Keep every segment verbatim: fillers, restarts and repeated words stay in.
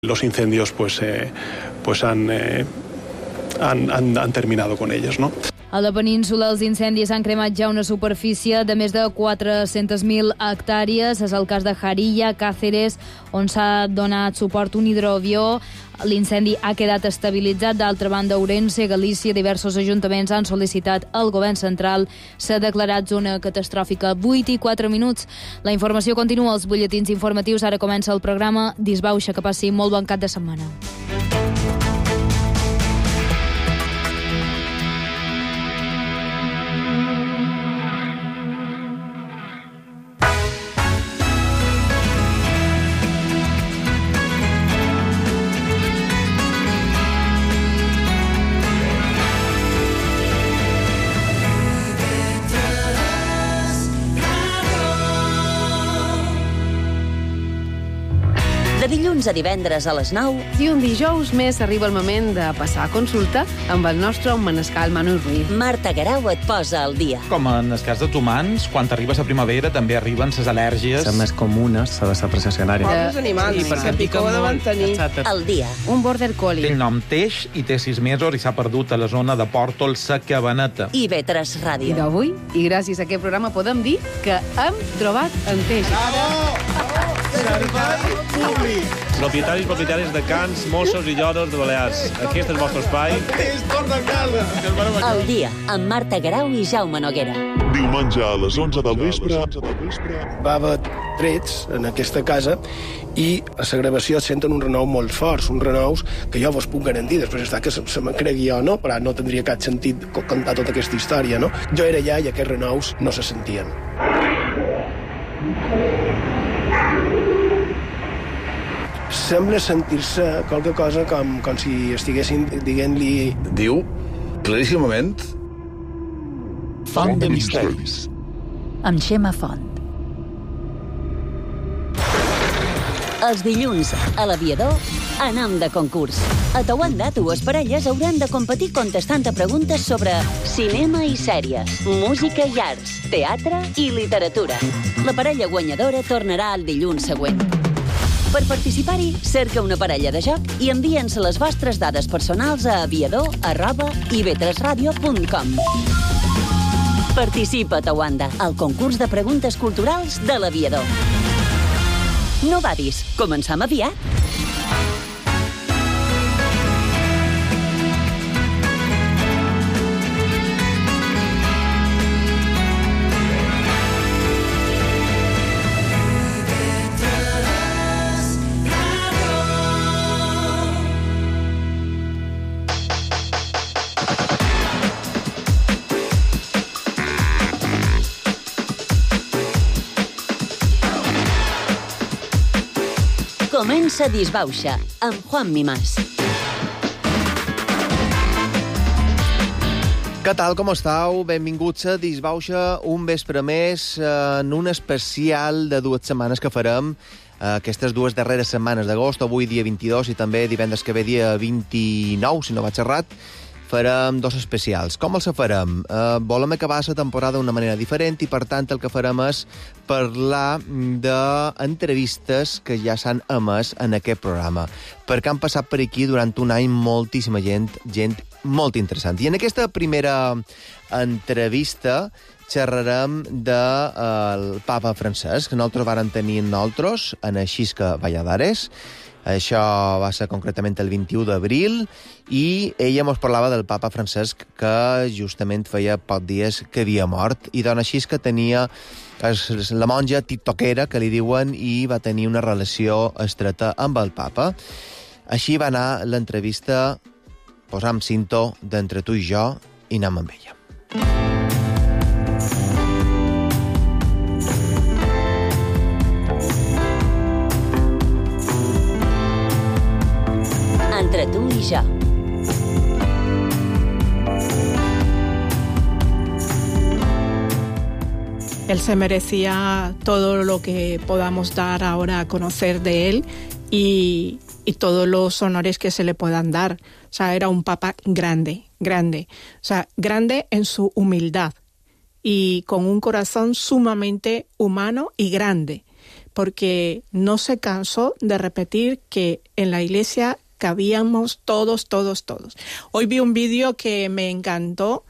Los incendios pues, eh, pues han, eh, han, han, han terminado con ellos, ¿no? A la península els incendis han cremat ja una superfície de més de quatre-centes mil hectàrees. És el cas de Jarilla, Càceres, on s'ha donat suport un hidroavió. L'incendi ha quedat estabilitzat. D'altra banda, Ourense, Galícia, diversos ajuntaments han sol·licitat al govern central. S'ha declarat zona catastròfica. vuit i quatre minuts. La informació continua als butlletins informatius. Ara comença el programa Disbauxa. Que passi molt bon cap de setmana. De dilluns a divendres a les nou. I un dijous més arriba el moment de passar a consulta amb el nostre manescal Manu Ruiz. Marta Guerau et posa al dia. Com en el cas dels humans, quan arribes a primavera també arriben les al·lèrgies. Les més comunes de la processionària. Els animals, que picó de mantenir. Al dia. Un border collie. Té el nom Teix i té sis mesos i s'ha perdut a la zona de Pòrtols a Cabaneta. I ve tres I Ràdio. d'avui, i gràcies a aquest programa, podem dir que hem trobat en Teix. Servei públic. Propietaris i propietàries de cans, mossos i lloros de Balears. Aquest és el vostre espai. És torna a casa. Al dia, amb Marta Guerau i Jaume Noguera. Diumenge a les onze del vespre. Va haver trets en aquesta casa i a la gravació es senten un renou molt forts, uns renous que jo vos puc garantir, després està que se, se me'n cregui jo, no? Però no tindria cap sentit contar tota aquesta història, no? Jo era allà i aquests renous no se sentien. Sembla sentir-se qualque cosa com, com si estiguessin dient-li... Diu, claríssimament... Font de misteris. Amb Xema Font. Els dilluns, a l'Aviador, anam de concurs. A Tauanda, dues parelles hauran de competir contestant a preguntes sobre cinema i sèries, música i arts, teatre i literatura. La parella guanyadora tornarà el dilluns següent. Per participar-hi, cerca una parella de joc i envia'ns les vostres dades personals a aviador arroba i ve tres ràdio punt com. Participa a Tauanda, al concurs de preguntes culturals de l'Aviador. No badis, començam aviat. Comença Disbauxa, amb Juan Mimàs. Què tal, com estàu? Benvinguts a Disbauxa, un vespre més, en un especial de dues setmanes que farem, aquestes dues darreres setmanes d'agost, avui dia vint-i-dos i també divendres que ve dia vint-i-nou, si no vaig errat, farem dos especials. Com els farem? Eh, volem acabar la temporada d'una manera diferent i, per tant, el que farem és parlar d'entrevistes que ja s'han emès en aquest programa, perquè han passat per aquí durant un any moltíssima gent, gent molt interessant. I en aquesta primera entrevista xerrarem del eh, papa Francesc, que nosaltres vàrem tenir nosaltres en Xisca Valladares. Això va ser concretament el vint-i-u d'abril i ella ens parlava del papa Francesc, que justament feia pocs dies que havia mort, i dona Xisca tenia la monja tiktokera, que li diuen, i va tenir una relació estreta amb el papa. Així va anar l'entrevista, posam cinto d'entre tu i jo i anem amb ella. Entre tu i jo. Él se merecía todo lo que podamos dar ahora a conocer de él y, y todos los honores que se le puedan dar. O sea, era un papa grande, grande. O sea, grande en su humildad y con un corazón sumamente humano y grande. porque no se cansó de repetir que en la iglesia cabíamos todos, todos, todos. Hoy vi un vídeo que me encantó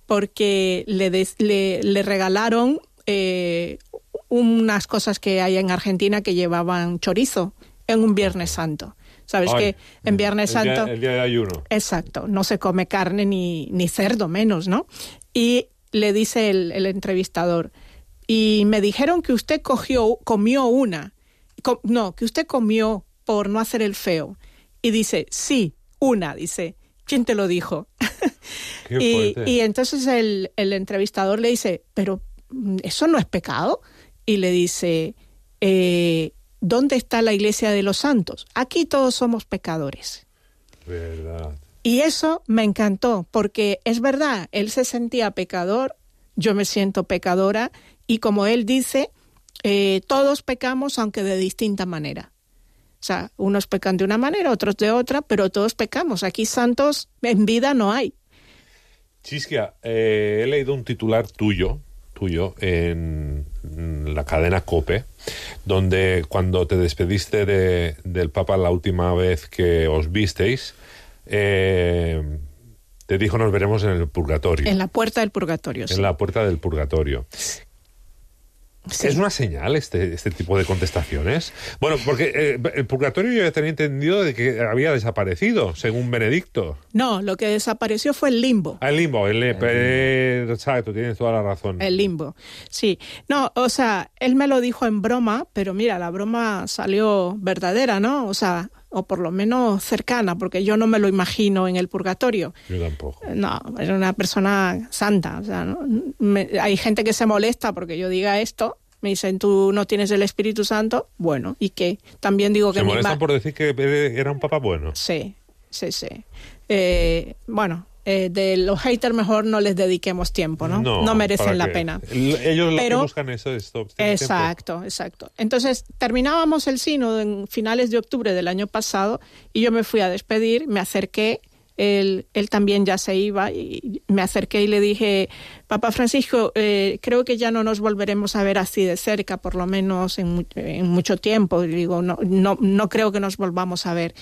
porque le, des, le, le regalaron eh, unas cosas que hay en Argentina que llevaban chorizo en un Viernes Santo. ¿Sabes Ay, que en Viernes el día, Santo... el día de ayuno. Exacto, no se come carne ni, ni cerdo menos, ¿no? Y le dice el, el entrevistador, y me dijeron que usted cogió, comió una. Com, no, que usted comió por no hacer el feo. Y dice, sí, una, dice. ¿Quién te lo dijo? Qué y, fuerte. y entonces el, el entrevistador le dice, pero ¿eso no es pecado? Y le dice, eh, ¿dónde está la iglesia de los santos? Aquí todos somos pecadores. Verdad. Y eso me encantó, porque es verdad, él se sentía pecador, yo me siento pecadora, y como él dice, eh, todos pecamos, aunque de distinta manera. O sea, unos pecan de una manera, otros de otra, pero todos pecamos. Aquí santos en vida no hay. Chisquia, eh, he leído un titular tuyo, tuyo en la cadena COPE, donde cuando te despediste de, del Papa la última vez que os visteis, eh, te dijo nos veremos en el purgatorio. En la puerta del purgatorio, sí. En la puerta del purgatorio. Sí. ¿Es una señal este, este tipo de contestaciones? Bueno, porque eh, el purgatorio yo ya tenía entendido de que había desaparecido, según Benedicto. No, lo que desapareció fue el limbo. Ah, el limbo, el, el eh, exacto, tienes toda la razón. El limbo, sí. No, o sea, él me lo dijo en broma, pero mira, la broma salió verdadera, ¿no? O sea, o por lo menos cercana, porque yo no me lo imagino en el purgatorio. Yo tampoco. No, era una persona santa. O sea, ¿no? me, hay gente que se molesta porque yo diga esto. Me dicen, ¿tú no tienes el Espíritu Santo? Bueno, ¿y qué? También digo que... ¿Se molestan ma- por decir que era un papa bueno? Sí, sí, sí. Eh, bueno, eh, de los haters mejor no les dediquemos tiempo, ¿no? No, no merecen la pena. Ellos Pero, lo que buscan eso es esto. Exacto, tiempo. exacto. Entonces, terminábamos el sínodo en finales de octubre del año pasado y yo me fui a despedir, me acerqué, él, él también ya se iba y me acerqué y le dije, Papa Francisco, eh, creo que ya no nos volveremos a ver así de cerca, por lo menos en, en mucho tiempo. Y digo, no, no, no creo que nos volvamos a ver.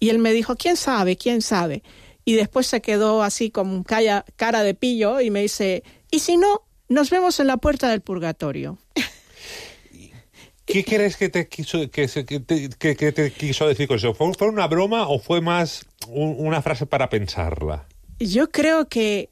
Y él me dijo, ¿quién sabe? ¿Quién sabe? Y después se quedó así con cara, cara de pillo y me dice, ¿y si no? Nos vemos en la puerta del purgatorio. ¿Qué crees que te quiso, que, que te, que, que te quiso decir con eso? ¿Fue, ¿Fue una broma o fue más un, una frase para pensarla? Yo creo que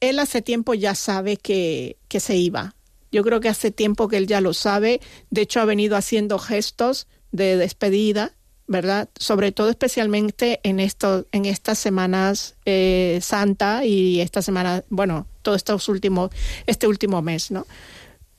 él hace tiempo ya sabe que, que se iba. Yo creo que hace tiempo que él ya lo sabe. De hecho, ha venido haciendo gestos de despedida, ¿verdad? Sobre todo especialmente en esto, en estas semanas eh, Santa y esta semana, bueno, todo estos últimos, este último mes, ¿no?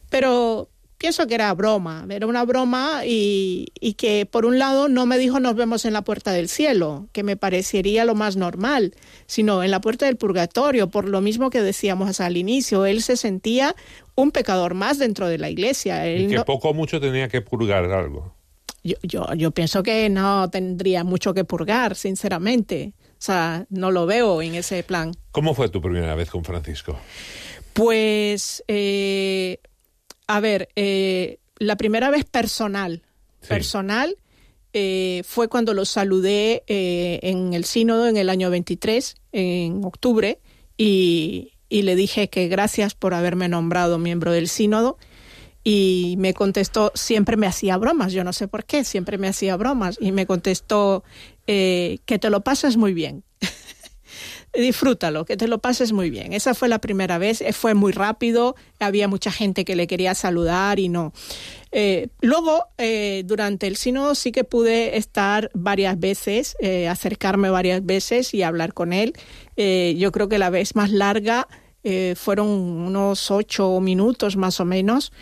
Pero pienso que era broma, era una broma y, y que por un lado no me dijo nos vemos en la puerta del cielo, que me parecería lo más normal, sino en la puerta del purgatorio, por lo mismo que decíamos al inicio, él se sentía un pecador más dentro de la iglesia. Él y que no... poco o mucho tenía que purgar algo. Yo, yo, yo pienso que no tendría mucho que purgar, sinceramente. O sea, no lo veo en ese plan. ¿Cómo fue tu primera vez con Francisco? Pues... Eh... A ver, eh, la primera vez personal, sí. personal eh, fue cuando lo saludé eh, en el sínodo en el año veintitrés, en octubre, y, y le dije que gracias por haberme nombrado miembro del sínodo, y me contestó, siempre me hacía bromas, yo no sé por qué, siempre me hacía bromas, y me contestó eh, que te lo pasas muy bien. Disfrútalo, que te lo pases muy bien. Esa fue la primera vez, fue muy rápido, había mucha gente que le quería saludar y no. Eh, luego, eh, durante el sínodo sí que pude estar varias veces, eh, acercarme varias veces y hablar con él. Eh, yo creo que la vez más larga eh, fueron unos ocho minutos más o menos,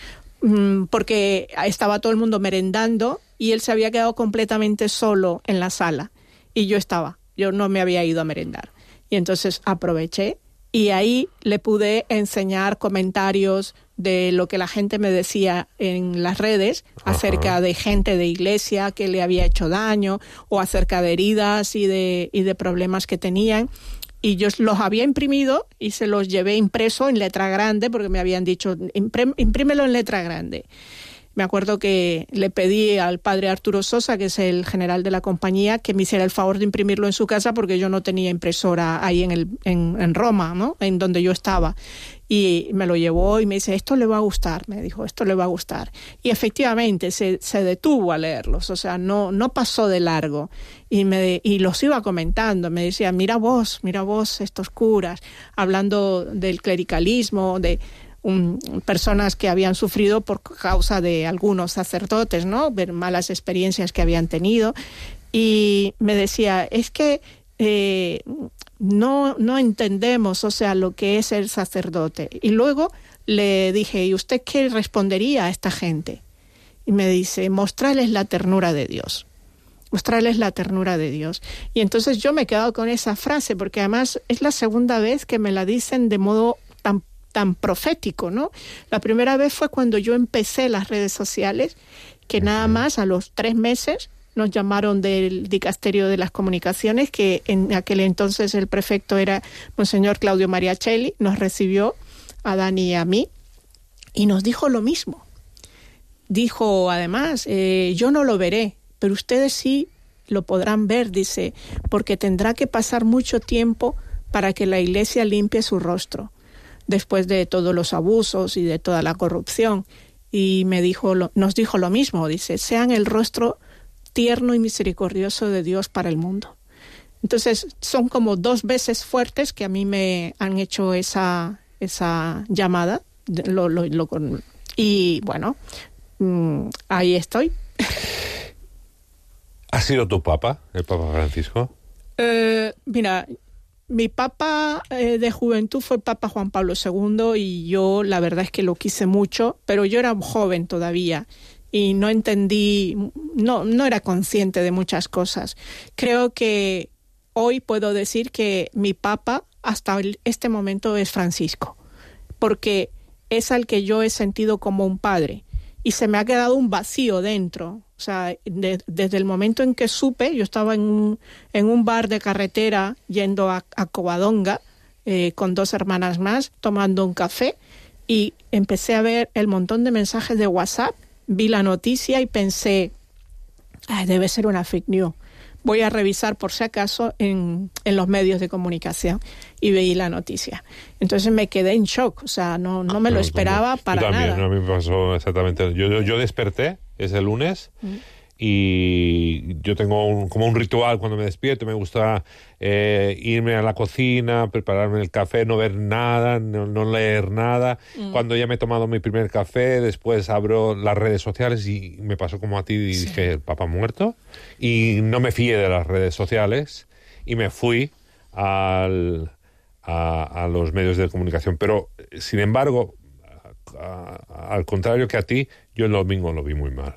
mmm, porque estaba todo el mundo merendando y él se había quedado completamente solo en la sala y yo estaba, yo no me había ido a merendar. Y entonces aproveché y ahí le pude enseñar comentarios de lo que la gente me decía en las redes. Ajá. Acerca de gente de iglesia que le había hecho daño o acerca de heridas y de, y de problemas que tenían. Y yo los había imprimido y se los llevé impreso en letra grande porque me habían dicho, imprímelo en letra grande. Me acuerdo que le pedí al padre Arturo Sosa, que es el general de la compañía, que me hiciera el favor de imprimirlo en su casa porque yo no tenía impresora ahí en, el, en, en Roma, ¿no? En donde yo estaba. Y me lo llevó y me dice, esto le va a gustar, me dijo, esto le va a gustar. Y efectivamente se, se detuvo a leerlos, o sea, no, no pasó de largo. Y, me, y los iba comentando, me decía, mira vos, mira vos estos curas, hablando del clericalismo, de um, personas que habían sufrido por causa de algunos sacerdotes, ¿no? Ver malas experiencias que habían tenido. Y me decía, es que eh, no, no entendemos, o sea, lo que es el sacerdote. Y luego le dije, ¿y usted qué respondería a esta gente? Y me dice, mostrarles la ternura de Dios. Mostrarles la ternura de Dios. Y entonces yo me he quedado con esa frase, porque además es la segunda vez que me la dicen de modo tan, tan profético, ¿no? La primera vez fue cuando yo empecé las redes sociales, que nada más a los tres meses nos llamaron del Dicasterio de las Comunicaciones, que en aquel entonces el prefecto era Monseñor Claudio Mariachelli, nos recibió a Dani y a mí, y nos dijo lo mismo. Dijo, además, eh, yo no lo veré, pero ustedes sí lo podrán ver, dice, porque tendrá que pasar mucho tiempo para que la Iglesia limpie su rostro, después de todos los abusos y de toda la corrupción. Y me dijo, lo, nos dijo lo mismo, dice, sean el rostro tierno y misericordioso de Dios para el mundo. Entonces, son como dos veces fuertes que a mí me han hecho esa, esa llamada. Lo, lo, lo, y bueno, mmm, ahí estoy. ¿Ha sido tu papa, el Papa Francisco? Eh, mira, mi papa eh, de juventud fue el Papa Juan Pablo segundo y yo la verdad es que lo quise mucho, pero yo era joven todavía y no entendí, no, no era consciente de muchas cosas. Creo que hoy puedo decir que mi papa hasta este momento es Francisco, porque es al que yo he sentido como un padre y se me ha quedado un vacío dentro. O sea, de, desde el momento en que supe, yo estaba en un, en un bar de carretera yendo a, a Covadonga eh, con dos hermanas más, tomando un café, y empecé a ver el montón de mensajes de WhatsApp, vi la noticia y pensé, ay, debe ser una fake news. Voy a revisar por si acaso en, en los medios de comunicación y veí la noticia. Entonces me quedé en shock, o sea, no, no me lo esperaba para yo también, nada. A mí me pasó exactamente. Yo, yo, yo desperté ese lunes mm. y yo tengo un, como un ritual cuando me despierto. Me gusta eh, irme a la cocina, prepararme el café, no ver nada, no, no leer nada. Mm. Cuando ya me he tomado mi primer café, después abro las redes sociales y me pasó como a ti y sí. Dije, el Papa muerto. Y no me fié de las redes sociales y me fui al, a, a los medios de comunicación. Pero, sin embargo, a, a, al contrario que a ti, yo el domingo lo vi muy mal.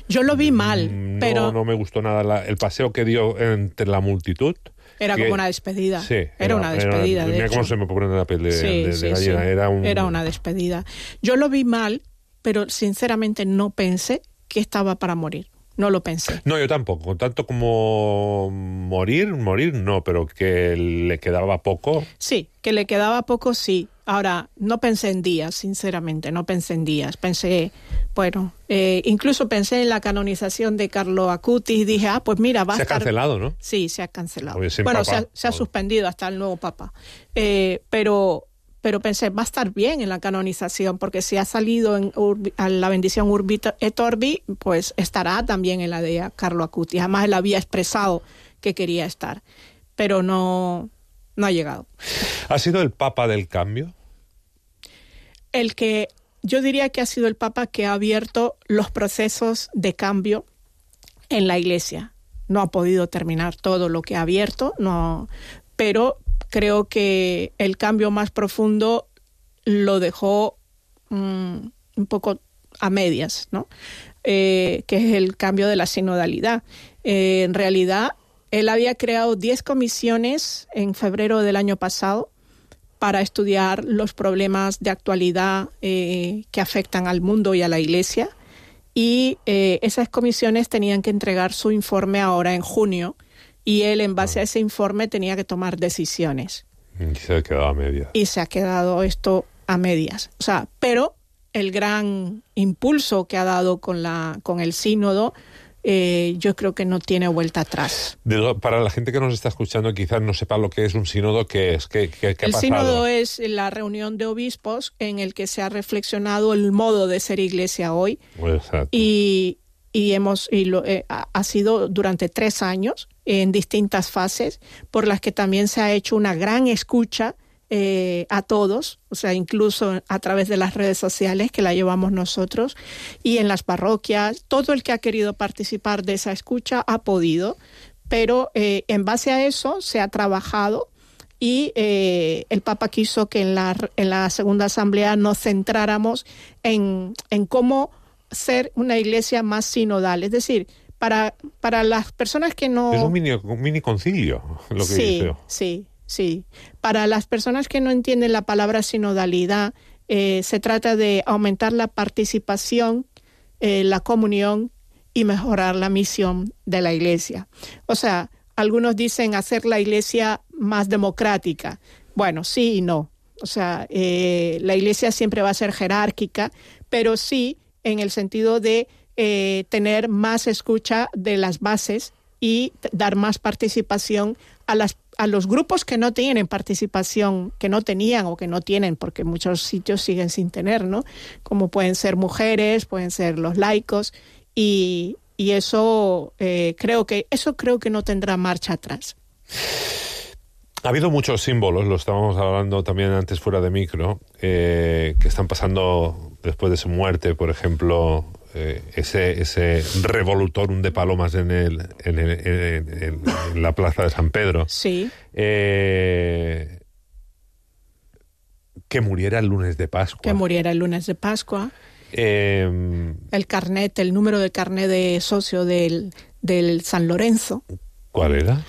Yo lo vi mal, no, pero... No me gustó nada la, el paseo que dio entre la multitud. Era que, como una despedida. Sí. Era, era una despedida, era, de mira hecho. cómo se me pone la piel de, sí, de, de sí, gallina. Sí. Era, un... era una despedida. Yo lo vi mal, pero sinceramente no pensé que estaba para morir. No lo pensé. No, yo tampoco. Tanto como morir, morir no, pero que le quedaba poco. Sí, que le quedaba poco, sí. Ahora, no pensé en días, sinceramente, no pensé en días. Pensé, bueno, eh, incluso pensé en la canonización de Carlo Acutis y dije, ah, pues mira, va a estar... Se ha cancelado, ¿no? Sí, se ha cancelado. Oye, bueno, papa, se ha, se ha suspendido hasta el nuevo papa. Eh, pero... Pero pensé, va a estar bien en la canonización, porque si ha salido en Urbi, a la bendición Urbi et Orbi, pues estará también en la de Carlo Acutis. Además, él había expresado que quería estar, pero no, no ha llegado. ¿Ha sido el Papa del cambio? El que, yo diría que ha sido el Papa que ha abierto los procesos de cambio en la Iglesia. No ha podido terminar todo lo que ha abierto, no, pero... Creo que el cambio más profundo lo dejó um, un poco a medias, ¿no? Eh, que es el cambio de la sinodalidad. Eh, en realidad, él había creado diez comisiones en febrero del año pasado para estudiar los problemas de actualidad eh, que afectan al mundo y a la Iglesia. Y eh, esas comisiones tenían que entregar su informe ahora en junio. Y él, en base a ese informe, tenía que tomar decisiones. Y se ha quedado a medias. Y se ha quedado esto a medias. O sea, pero el gran impulso que ha dado con, la, con el sínodo, eh, yo creo que no tiene vuelta atrás. De lo, para la gente que nos está escuchando quizás no sepa lo que es un sínodo, ¿qué es? ¿Qué, qué, qué ha el pasado? sínodo es la reunión de obispos en el que se ha reflexionado el modo de ser iglesia hoy. Exacto. Y, y, hemos, y lo, eh, ha sido durante tres años en distintas fases, por las que también se ha hecho una gran escucha Eh, a todos, o sea, incluso a través de las redes sociales que la llevamos nosotros, y en las parroquias. Todo el que ha querido participar de esa escucha ha podido, pero eh, en base a eso se ha trabajado, y eh, el Papa quiso que en la, en la segunda asamblea nos centráramos en, en cómo ser una iglesia más sinodal, es decir, para, para las personas que no... Es un mini, un mini concilio, lo que sí, dice. Sí, sí. Para las personas que no entienden la palabra sinodalidad, eh, se trata de aumentar la participación, eh, la comunión y mejorar la misión de la iglesia. O sea, algunos dicen hacer la iglesia más democrática. Bueno, sí y no. O sea, eh, la iglesia siempre va a ser jerárquica, pero sí en el sentido de eh, tener más escucha de las bases y dar más participación a las a los grupos que no tienen participación, que no tenían o que no tienen, porque muchos sitios siguen sin tener, ¿no? Como pueden ser mujeres, pueden ser los laicos, y, y eso eh, creo que eso creo que no tendrá marcha atrás. Ha habido muchos símbolos, lo estábamos hablando también antes fuera de micro, eh, que están pasando después de su muerte, por ejemplo, eh, ese, ese revolutorum de palomas en, el, en, el, en, en, en la plaza de San Pedro. Sí. Eh, que muriera el lunes de Pascua. Que muriera el lunes de Pascua. Eh, el carnet, el número de carnet de socio del, del San Lorenzo. ¿Cuál era?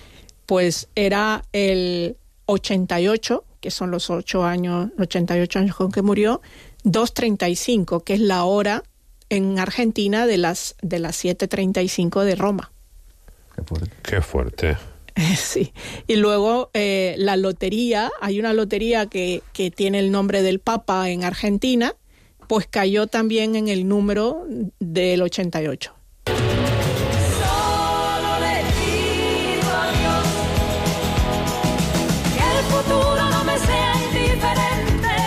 Pues era el ochenta y ocho, que son los ocho años, ochenta y ocho años con que murió, dos treinta y cinco, que es la hora en Argentina de las de las siete treinta y cinco de Roma. Qué fuerte. Qué fuerte. Sí. Y luego eh, la lotería, hay una lotería que, que tiene el nombre del Papa en Argentina, pues cayó también en el número del ochenta y ocho.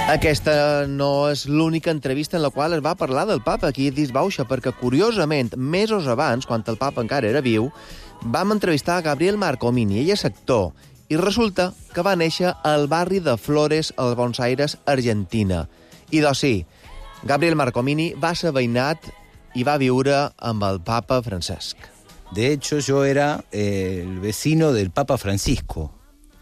Aquesta no és l'única entrevista en la qual es va parlar del papa aquí a Disbauxa, perquè, curiosament, mesos abans, quan el papa encara era viu, vam entrevistar a Gabriel Marcomini, ell és actor, i resulta que va néixer al barri de Flores, al Buenos Aires, Argentina. I doncs sí, Gabriel Marcomini va ser veïnat i va viure amb el papa Francesc. De hecho, yo era eh, el vecino del Papa Francisco.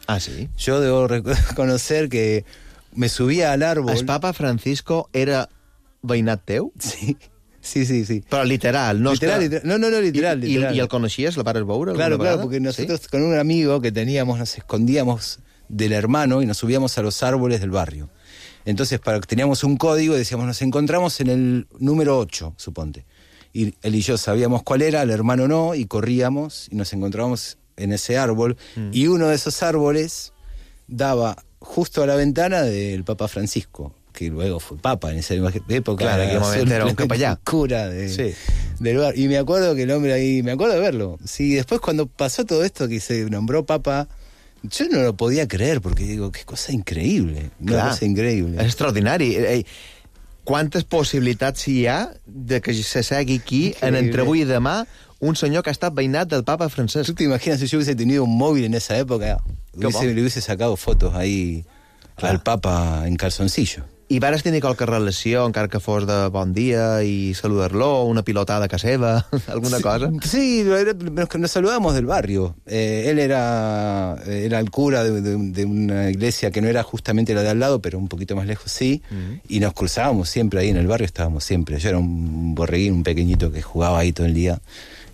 Ah, sí? Yo debo reconocer que me subía al árbol. El Papa Francisco era veïnat teu? Sí, sí, sí. sí. Però literal, no literal, és que... literal. No, no, no, literal, I, literal. I, I el coneixies? La vares veure? Claro, claro, vegada? porque nosotros ¿Sí? con un amigo que teníamos, nos escondíamos del hermano y nos subíamos a los árboles del barrio. Entonces, para, teníamos un código y decíamos, nos encontramos en el número ocho, suponte. Y él y yo sabíamos cuál era, el hermano no, y corríamos y nos encontrábamos en ese árbol. Mm. Y uno de esos árboles daba justo a la ventana del Papa Francisco, que luego fue Papa en esa época. Claro, en aquel momento era un capellán. Cura de, sí. del bar. Y me acuerdo que el hombre ahí, me acuerdo de verlo. Sí, después cuando pasó todo esto, que se nombró Papa, yo no lo podía creer, porque digo, qué cosa increïble. Una Clar, cosa increïble. És extraordinari. Ei, quantes possibilitats hi ha de que se segui aquí, increïble. En entre avui i demà, un senyor que ha estat veïnat del Papa Francesc. ¿Tú te imaginas si yo hubiese tenido un móvil en esa época? Hubiese, le hubiese sacado fotos ahí Clar. Al Papa en calzoncillo. I vares tenir qualque relació, encara que fos de bon dia, i saludar-lo, una pilotada a casa seva, alguna sí, cosa? Sí, nos, nos saludamos del barrio. Eh, él era, era el cura de, de, de una iglesia que no era justamente la de al lado, pero un poquito más lejos sí, uh-huh. Y nos cruzábamos siempre ahí en el barrio, estábamos siempre. Yo era un borreguín, un pequeñito que jugaba ahí todo el día,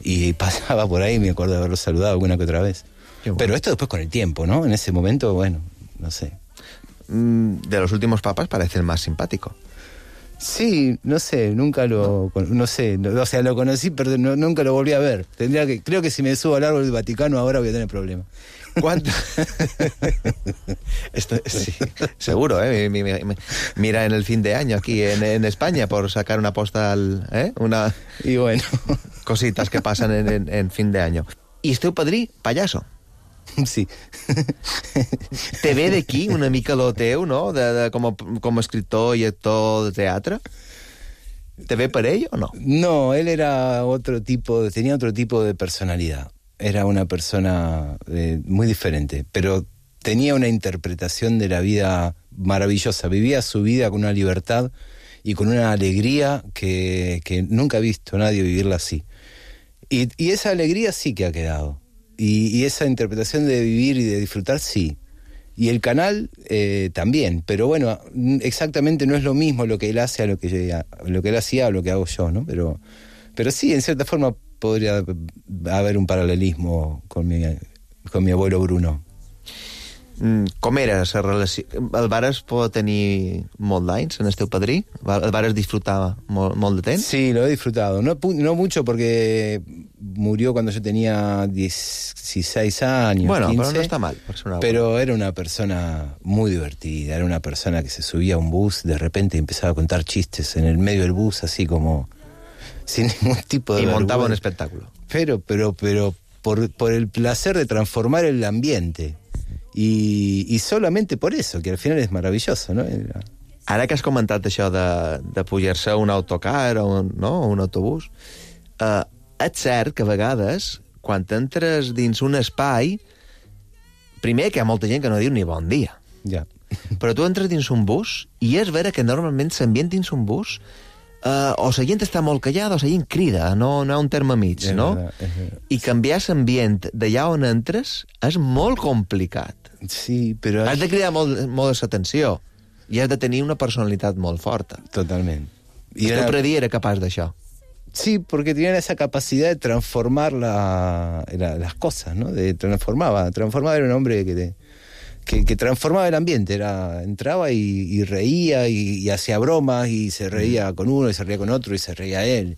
y pasaba por ahí, me acuerdo de haberlo saludado alguna que otra vez. Bueno. Pero esto después con el tiempo, ¿no? En ese momento, bueno, no sé. De los últimos papas parece el más simpático. Sí, no sé, nunca lo... No sé, no, o sea, lo conocí, pero no, nunca lo volví a ver. Tendría que, creo que si me subo al árbol del Vaticano ahora voy a tener problemas. ¿Cuánto? Esto, sí, seguro, ¿eh? Mira en el fin de año aquí en, en España por sacar una postal, ¿eh? Una... Y bueno. Cositas que pasan en, en, en fin de año. I esteu padrí, pallasso. Sí. Te ve d'aquí una mica lo teu, no? De, de, com, a, com a escritor i actor de teatre. ¿Te ve por ello o no? No, él era otro tipo, tenía otro tipo de personalidad. Era una persona eh, muy diferente, pero tenía una interpretación de la vida maravillosa. Vivía su vida con una libertad y con una alegría que, que nunca he visto a nadie vivirla así. Y, y esa alegría sí que ha quedado. Y, y esa interpretación de vivir y de disfrutar, sí. Y el canal eh, también. Pero bueno, exactamente no es lo mismo lo que él hace a lo que, a lo que él hacía o lo que hago yo, ¿no? Pero, pero sí, en cierta forma podría haber un paralelismo con mi, con mi abuelo Bruno. Mm, com era la relació? El vares poder tenir molt d'anys en el teu padrí? El vares disfrutar molt, molt de temps? Sí, lo he disfrutado. No, no mucho porque murió cuando yo tenía dieciséis años, bueno, quince. Pero no está mal. Pero era una persona muy divertida. Era una persona que se subía a un bus de repente y empezaba a contar chistes en el medio del bus, así como sin ningún tipo de Y vergüenza. montaba un espectáculo. Pero, pero, pero por, por el placer de transformar el ambiente. Y, y solamente por eso, que al final es maravilloso, ¿no? Era... Ara que has comentat això de, de pujar-se a un autocar o un, no, un autobús, eh, és cert que a vegades, quan entres dins un espai, primer que hi ha molta gent que no diu ni bon dia. Ja. Però tu entres dins un bus i és vera que normalment l'ambient dins un bus Uh, o la gent està molt callada o la gent crida, no, no hi ha un terme mig, és no? Verdad, és verdad. I canviar l'ambient d'allà on entres és molt complicat. Sí, però... Has de cridar molt, molt l'atenció i has de tenir una personalitat molt forta. Totalment. I el teu predí era capaç d'això. Sí, porque tenían esa capacidad de transformar la, la, las cosas, ¿no? De transformaba, transformaba, era un hombre que... De, Que, que transformaba el ambiente, era entraba y, y reía y, y hacía bromas y se reía con uno y se reía con otro y se reía él.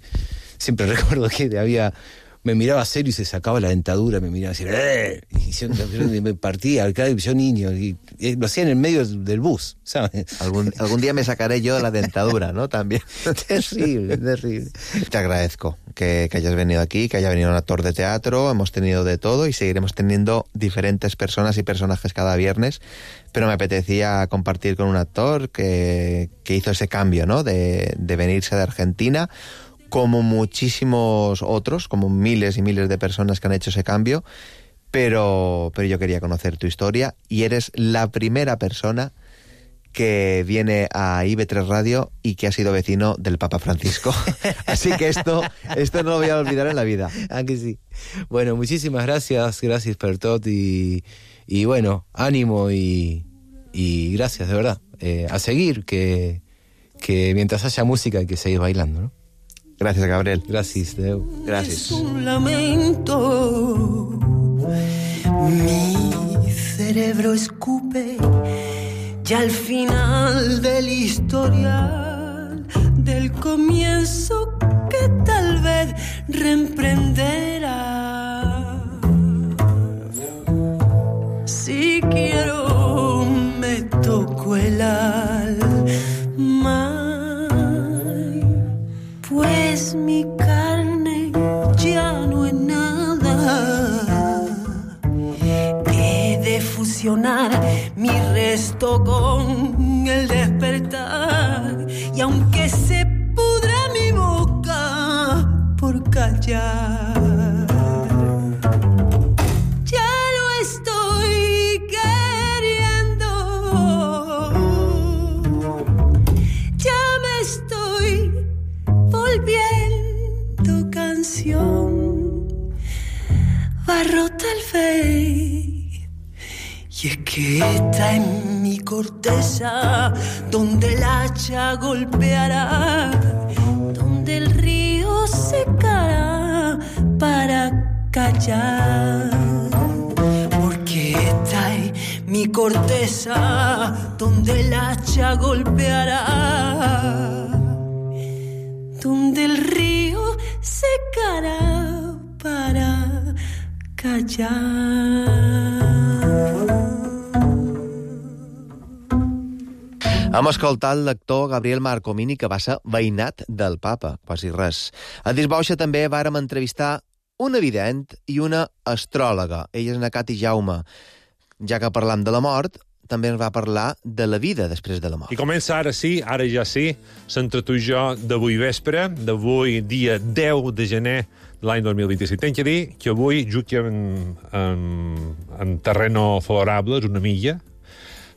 Siempre recuerdo que había, me miraba serio y se sacaba la dentadura, me miraba así, ¡eh! Y yo, yo me partía, claro, yo niño, y, y lo hacía en el medio del bus, ¿sabes? Algún, algún día me sacaré yo la dentadura, ¿no? También. Terrible, terrible. Te agradezco que, que hayas venido aquí, que haya venido un actor de teatro, hemos tenido de todo y seguiremos teniendo diferentes personas y personajes cada viernes, pero me apetecía compartir con un actor que, que hizo ese cambio, ¿no? De, de venirse de Argentina, como muchísimos otros, como miles y miles de personas que han hecho ese cambio, pero, pero yo quería conocer tu historia y eres la primera persona que viene a I B tres Radio y que ha sido vecino del Papa Francisco. Así que esto, esto no lo voy a olvidar en la vida. Ah, que sí. Bueno, muchísimas gracias, gracias por todo y, y bueno, ánimo y, y gracias, de verdad. Eh, a seguir, que, que mientras haya música hay que seguir bailando, ¿no? Gracias, Gabriel. Gracias, Deu. Gracias. Es un lamento. Mi cerebro escupe ya al final del historial, del comienzo que tal vez reemprenderá. Si quiero me toco el alma, pues mi carne ya no es nada. He de fusionar mi resto con el despertar, y aunque se pudra mi boca por callar, ya lo estoy queriendo, ya me estoy volviendo canción, barro tal vez. Y es que está en mi corteza donde el hacha golpeará, donde el río secará para callar. Porque está en mi corteza donde el hacha golpeará, donde el río secará para callar. Hem escoltat l'actor Gabriel Marcomini, que va ser veïnat del papa, quasi res. A Disbauxa també vàrem entrevistar una vident i una astròloga. Ella és na Cati Jaume. Ja que parlam de la mort, també ens va parlar de la vida després de la mort. I comença ara sí, ara ja sí, s'entre tu i jo d'avui vespre, d'avui dia deu de gener de l'any dos mil vint-i-set. Tenc que dir que avui juc en, en, en terreno favorable, és una milla.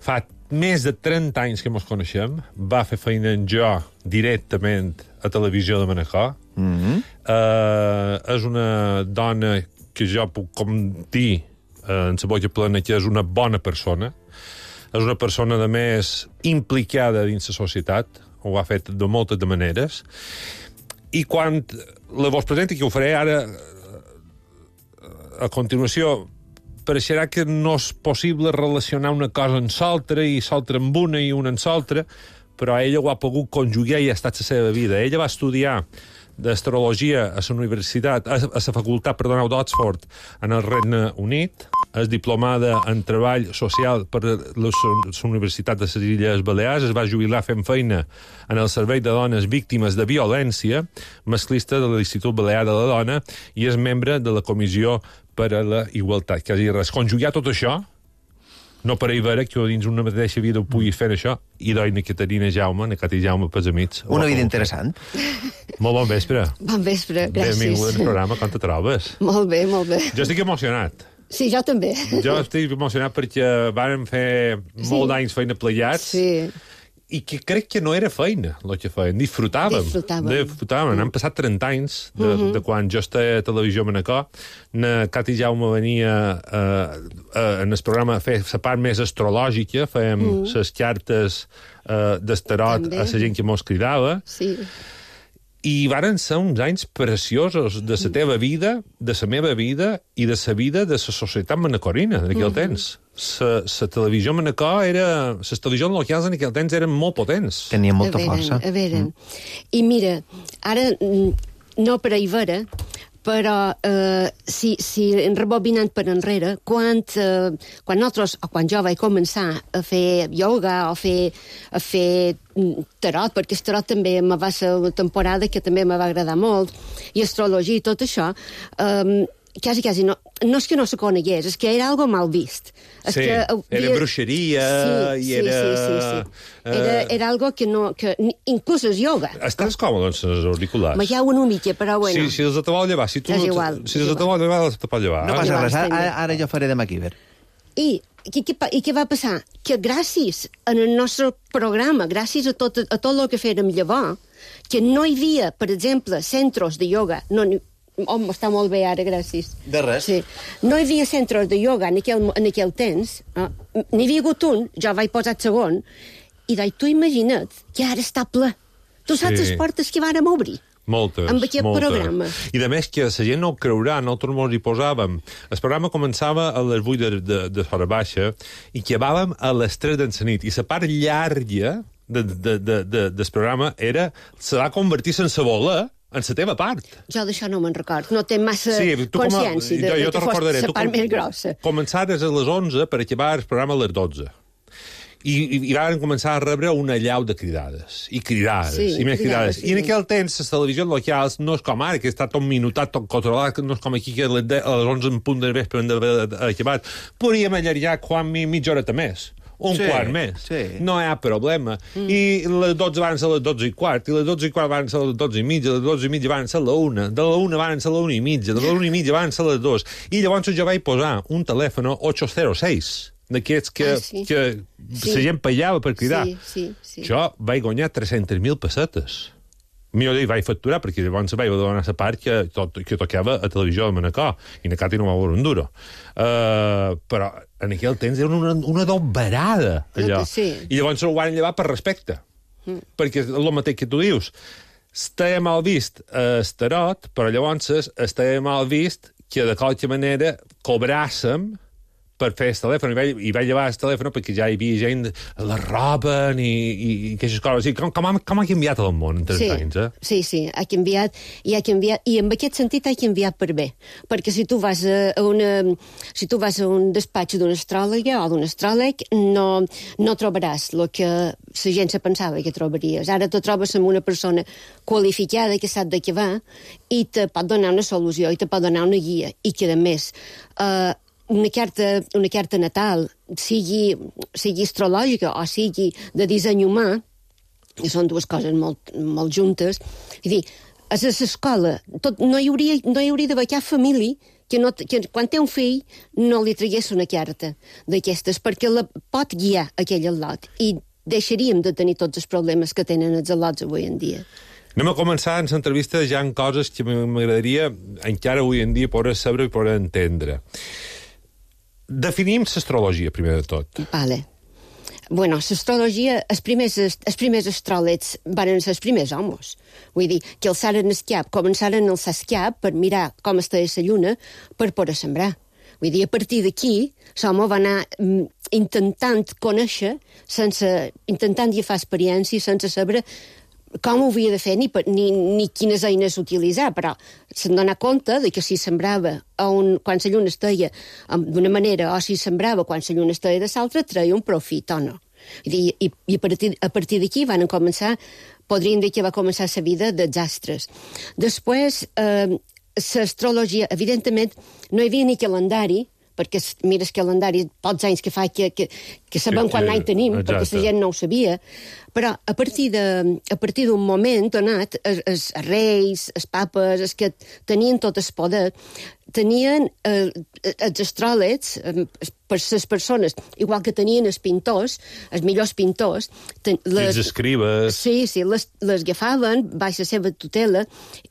Fa més de trenta anys que ens coneixem, va fer feina en jo directament a Televisió de Manacor. Mm-hmm. uh, és una dona que jo puc com dir uh, en la boca plena que és una bona persona. És una persona, de més, implicada dins la societat. Ho ha fet de moltes de maneres. I quan la vos presenti, que ho faré ara a continuació, pareixerà que no és possible relacionar una cosa amb l'altra i l'altra amb una i una amb l'altra, però ella ho ha pogut conjugar i ha estat la seva vida. Ella va estudiar d'astrologia a la universitat, a la facultat, perdoneu, d'Oxford, en el Regne Unit, és diplomada en treball social per la Universitat de les Illes Balears, es va jubilar fent feina en el Servei de Dones Víctimes de Violència Masclista de l'Institut Balear de la Dona i és membre de la Comissió per a la Igualtat. Quasi res. Conjugar tot això, no per ahir veure que dins una mateixa vida ho puguis fer això, i doi na Caterina Jaume, na Cati Jaume, pels amics. Una vida interessant. Molt bon vespre. Bon vespre, gràcies. Benvinguda al programa, com te trobes? Molt bé, molt bé. Jo estic emocionat. Sí, jo també. Jo estic emocionat perquè vàrem fer molt d'anys feina plegats. Sí. I que crec que no era feina, el que feien. Disfrutàvem. Disfrutàvem. Disfrutàvem. Mm. Han passat trenta anys de, uh -huh. de quan jo estava a Televisió Manacor. Na Cati Jaume venia uh, uh, en el programa a fer la part més astrològica, fèiem uh -huh. les cartes uh, d'estarot a la gent que mos cridava. Sí. I varen ser uns anys preciosos de la teva vida, de la meva vida i de la vida de la societat manacorina en aquell uh -huh. temps. La televisió Manacor era... Les televisions locals en aquell temps eren molt potents. Tenien molta a veure, força. A veure, mm. I mira, ara, no per ahir vera, però eh, si, si rebobinant per enrere, quan, eh, quan nosaltres, o quan jo vaig començar a fer ioga o fer, a fer tarot, perquè el tarot també me va ser una temporada que també me va agradar molt, i astrologia i tot això, eh, quasi, quasi no, no és que no se conegués, és que era algo mal vist. És sí, que havia... era bruixeria sí, i sí, era... Sí, sí, sí. Era, era algo que no... Que, inclús el ioga. Estàs còmode amb els auriculars? Me ha una mica, però bueno. Sí, si els te vol llevar, si tu... És igual. Si els te vol llevar, els te pot llevar. No passa res, ara, ara jo faré de MacGyver. I, i, I què va passar? Que gràcies al nostre programa, gràcies a tot, a tot el que fèrem llavors, que no hi havia, per exemple, centres de ioga, no, home, està molt bé ara, gràcies. De res. Sí. No hi havia centres de ioga en aquell, en aquell temps, eh? N'hi havia hagut un, jo vaig posar el segon, i doi, tu imagina't que ara està ple. Tu saps sí. les portes que vàrem obrir? Moltes, amb aquest moltes. programa. I de més que la gent no ho creurà, nosaltres mos hi posàvem. El programa començava a les vuit de, de, de fora baixa i acabàvem a les tres de la nit. I la part llarga de, de, de, de, del programa era, se va convertir sense voler en la teva part. Jo d'això no me'n record. No té massa sí, consciència a, de, jo, jo de que fos la part com, més grossa. Començares a les onze per acabar el programa a les dotze. I, i, i van començar a rebre una llau de cridades, i cridades, sí, i més cridades. cridades. I en aquell temps, les televisions locals no és com ara, que està tot minutat, tot controlat, no és com aquí que a les, de, a les onze en punt de vespre hem d'haver acabat. Podríem allargar quan mitja horeta més. Un sí, quart més. Sí. No hi ha problema. Mm. I les dotze van ser les dotze i quart, i les dotze i quart van ser les dotze i mitja, les dotze i mitja van ser la una, de la una van ser la una i mitja, de la una i mitja van ser les dos. I llavors jo vaig posar un telèfon ocho cero seis, d'aquests que, ah, sí. que sí. la gent pagava per cridar. Sí, sí, sí. Jo vaig guanyar tres-centes mil pessetes. Millor dir, vaig facturar, perquè llavors vaig donar la part que, tot, que tocava a Televisió de Manacor, i na Cati no va veure un duro. Uh, però en aquell temps era una, una doberada, allò. Sí. I llavors ho van llevar per respecte. Mm. Perquè és el mateix que tu dius. Estava mal vist a Estarot, però llavors estava mal vist que de qualque manera cobràssim per fer el telèfon, i vaig, i vaig llevar el telèfon perquè ja hi havia gent, la roben i, i, i aquestes coses. I com, com, ha, com ha canviat el món en tres sí, anys, eh? Sí, sí, ha canviat, i ha canviat, i en aquest sentit ha canviat per bé, perquè si tu vas a, a una, si tu vas a un despatx d'un astròloga o d'un astròleg, no, no trobaràs el que la gent se pensava que trobaries. Ara te trobes amb una persona qualificada que sap de què va i te pot donar una solució i te pot donar una guia, i que a més eh, una carta, una carta natal, sigui, sigui astrològica o sigui de disseny humà, que són dues coses molt, molt juntes, és dir, a l'escola tot, no, hi hauria, no hi hauria d'haver cap família que, no, que quan té un fill no li tragués una carta d'aquestes, perquè la pot guiar aquell al·lot, i deixaríem de tenir tots els problemes que tenen els al·lots avui en dia. Anem a començar en l'entrevista ja en coses que m'agradaria encara avui en dia poder saber i poder entendre. Definim l'astrologia, primer de tot. Vale. Bueno, l'astrologia, els primers, els primers astròlegs van ser els primers homes. Vull dir, que alçaren el cap, començaren a alçar el cap per mirar com estava la lluna per poder sembrar. Vull dir, a partir d'aquí, l'home va anar mm, intentant conèixer, sense, intentant agafar experiència, sense saber com ho havia de fer ni, ni, ni quines eines utilitzar, però se'n donar compte de que si sembrava a un, quan la lluna estava d'una manera o si sembrava quan la lluna estava de l'altra, treia un profit o no. I, i, i a partir, a partir d'aquí van començar, podríem dir que va començar la vida dels astres. Després, eh, l'astrologia, evidentment, no hi havia ni calendari, perquè mires calendari, pocs anys que fa que, que, que sabem que, quan any tenim, exacte. Perquè la gent no ho sabia, però a partir de, a partir d'un moment donat, els, els reis, els papes, els que tenien tot el poder, tenien eh, els astròlegs, eh, per les persones, igual que tenien els pintors, els millors pintors, ten, les, els escribes... Sí, sí, les, les agafaven baix la seva tutela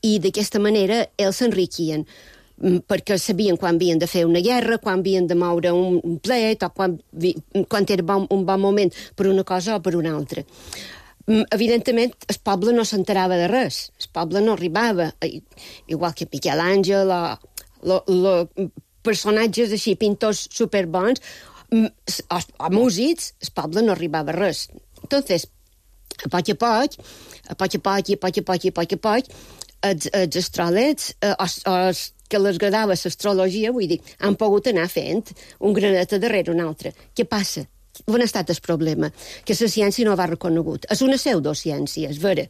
i d'aquesta manera ells s'enriquien, perquè sabien quan havien de fer una guerra, quan havien de moure un plet, o quan, quan era bon, un bon moment per una cosa o per una altra. Evidentment, el poble no s'enterava de res. El poble no arribava, igual que Miquel Àngel o, o, o personatges així, pintors superbons, o, o músics, el poble no arribava a res. Entonces, a poc a poc, a poc a poc, i a poc a poc, i a poc a poc, els, els astròlegs, els, els que les agradava l'astrologia, vull dir, han pogut anar fent un graneta darrere un altre. Què passa? On ha estat el problema? Que la ciència no va reconegut. És una pseudociència, és vera.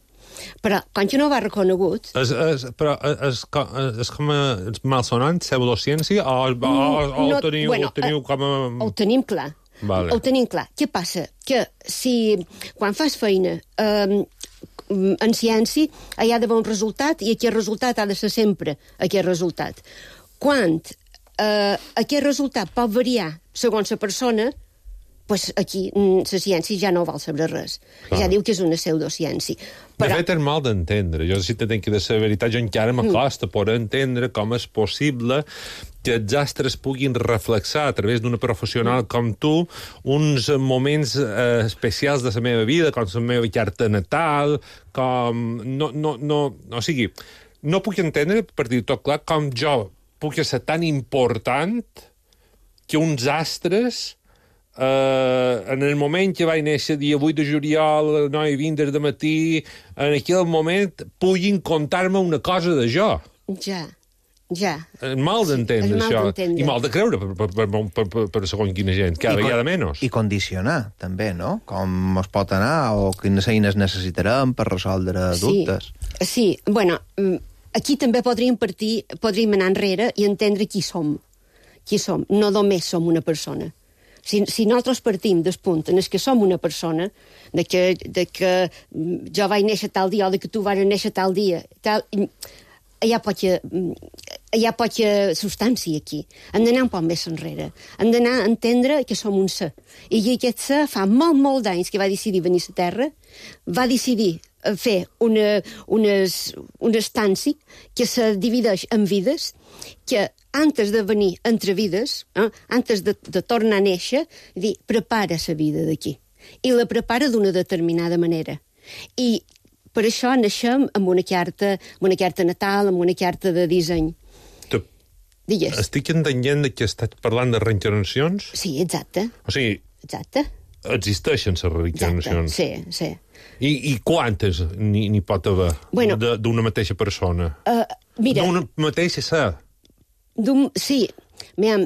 Però, quan que no va reconegut... És, és, però és, és com a malsonant, pseudociència, o, o, o, o no, ho teniu, bueno, ho teniu com a... Ho tenim clar. Vale. Ho tenim clar. Què passa? Que si, quan fas feina... Eh, en ciència hi ha d'haver un resultat i aquest resultat ha de ser sempre aquest resultat. Quan eh, aquest resultat pot variar segons la persona, pues aquí la ciència ja no val saber res. Clar. Ja diu que és una pseudociència. Però... De fet, és mal d'entendre. Jo, si te tenc que dir la veritat, jo encara m'acosta mm. poder entendre com és possible que els astres puguin reflexar a través d'una professional mm. com tu uns moments eh, especials de la meva vida, com la meva carta natal, com... No, no, no, o sigui, no puc entendre, per dir tot clar, com jo puc ser tan important que uns astres... Uh, en el moment que vaig néixer, dia vuit de juliol, nou i vint de matí, en aquell moment puguin contar-me una cosa de jo. Ja, ja. És mal d'entendre, sí, això. I mal de creure per, per, per, per, per, per segons quina gent, cada vegada menys. I condicionar, també, no? Com es pot anar o quines eines necessitarem per resoldre dubtes. Sí, sí. Bueno, aquí també podríem partir, podríem anar enrere i entendre qui som. Qui som. No només som una persona. Si, si nosaltres partim del punt en el que som una persona, de que, de que jo vaig néixer tal dia o de que tu vas néixer tal dia, tal, hi ha poca, hi ha poca substància aquí. Hem d'anar un poc més enrere. Hem d'anar a entendre que som un ser. I aquest ser fa molt, molt d'anys que va decidir venir a la Terra, va decidir fer una, unes, una estància que se divideix en vides, que antes de venir entre vides, eh, antes de, de tornar a néixer, dir, prepara la vida d'aquí. I la prepara d'una determinada manera. I per això naixem amb una carta, amb una carta natal, amb una carta de disseny. Te, Digues. Estic entenent que estàs parlant de reencarnacions? Sí, exacte. O sigui, exacte. Existeixen les reencarnacions? Exacte, sí, sí. I, i quantes n'hi pot haver bueno, d'una mateixa persona? Uh, mira... D'una mateixa ser? Sí, mira,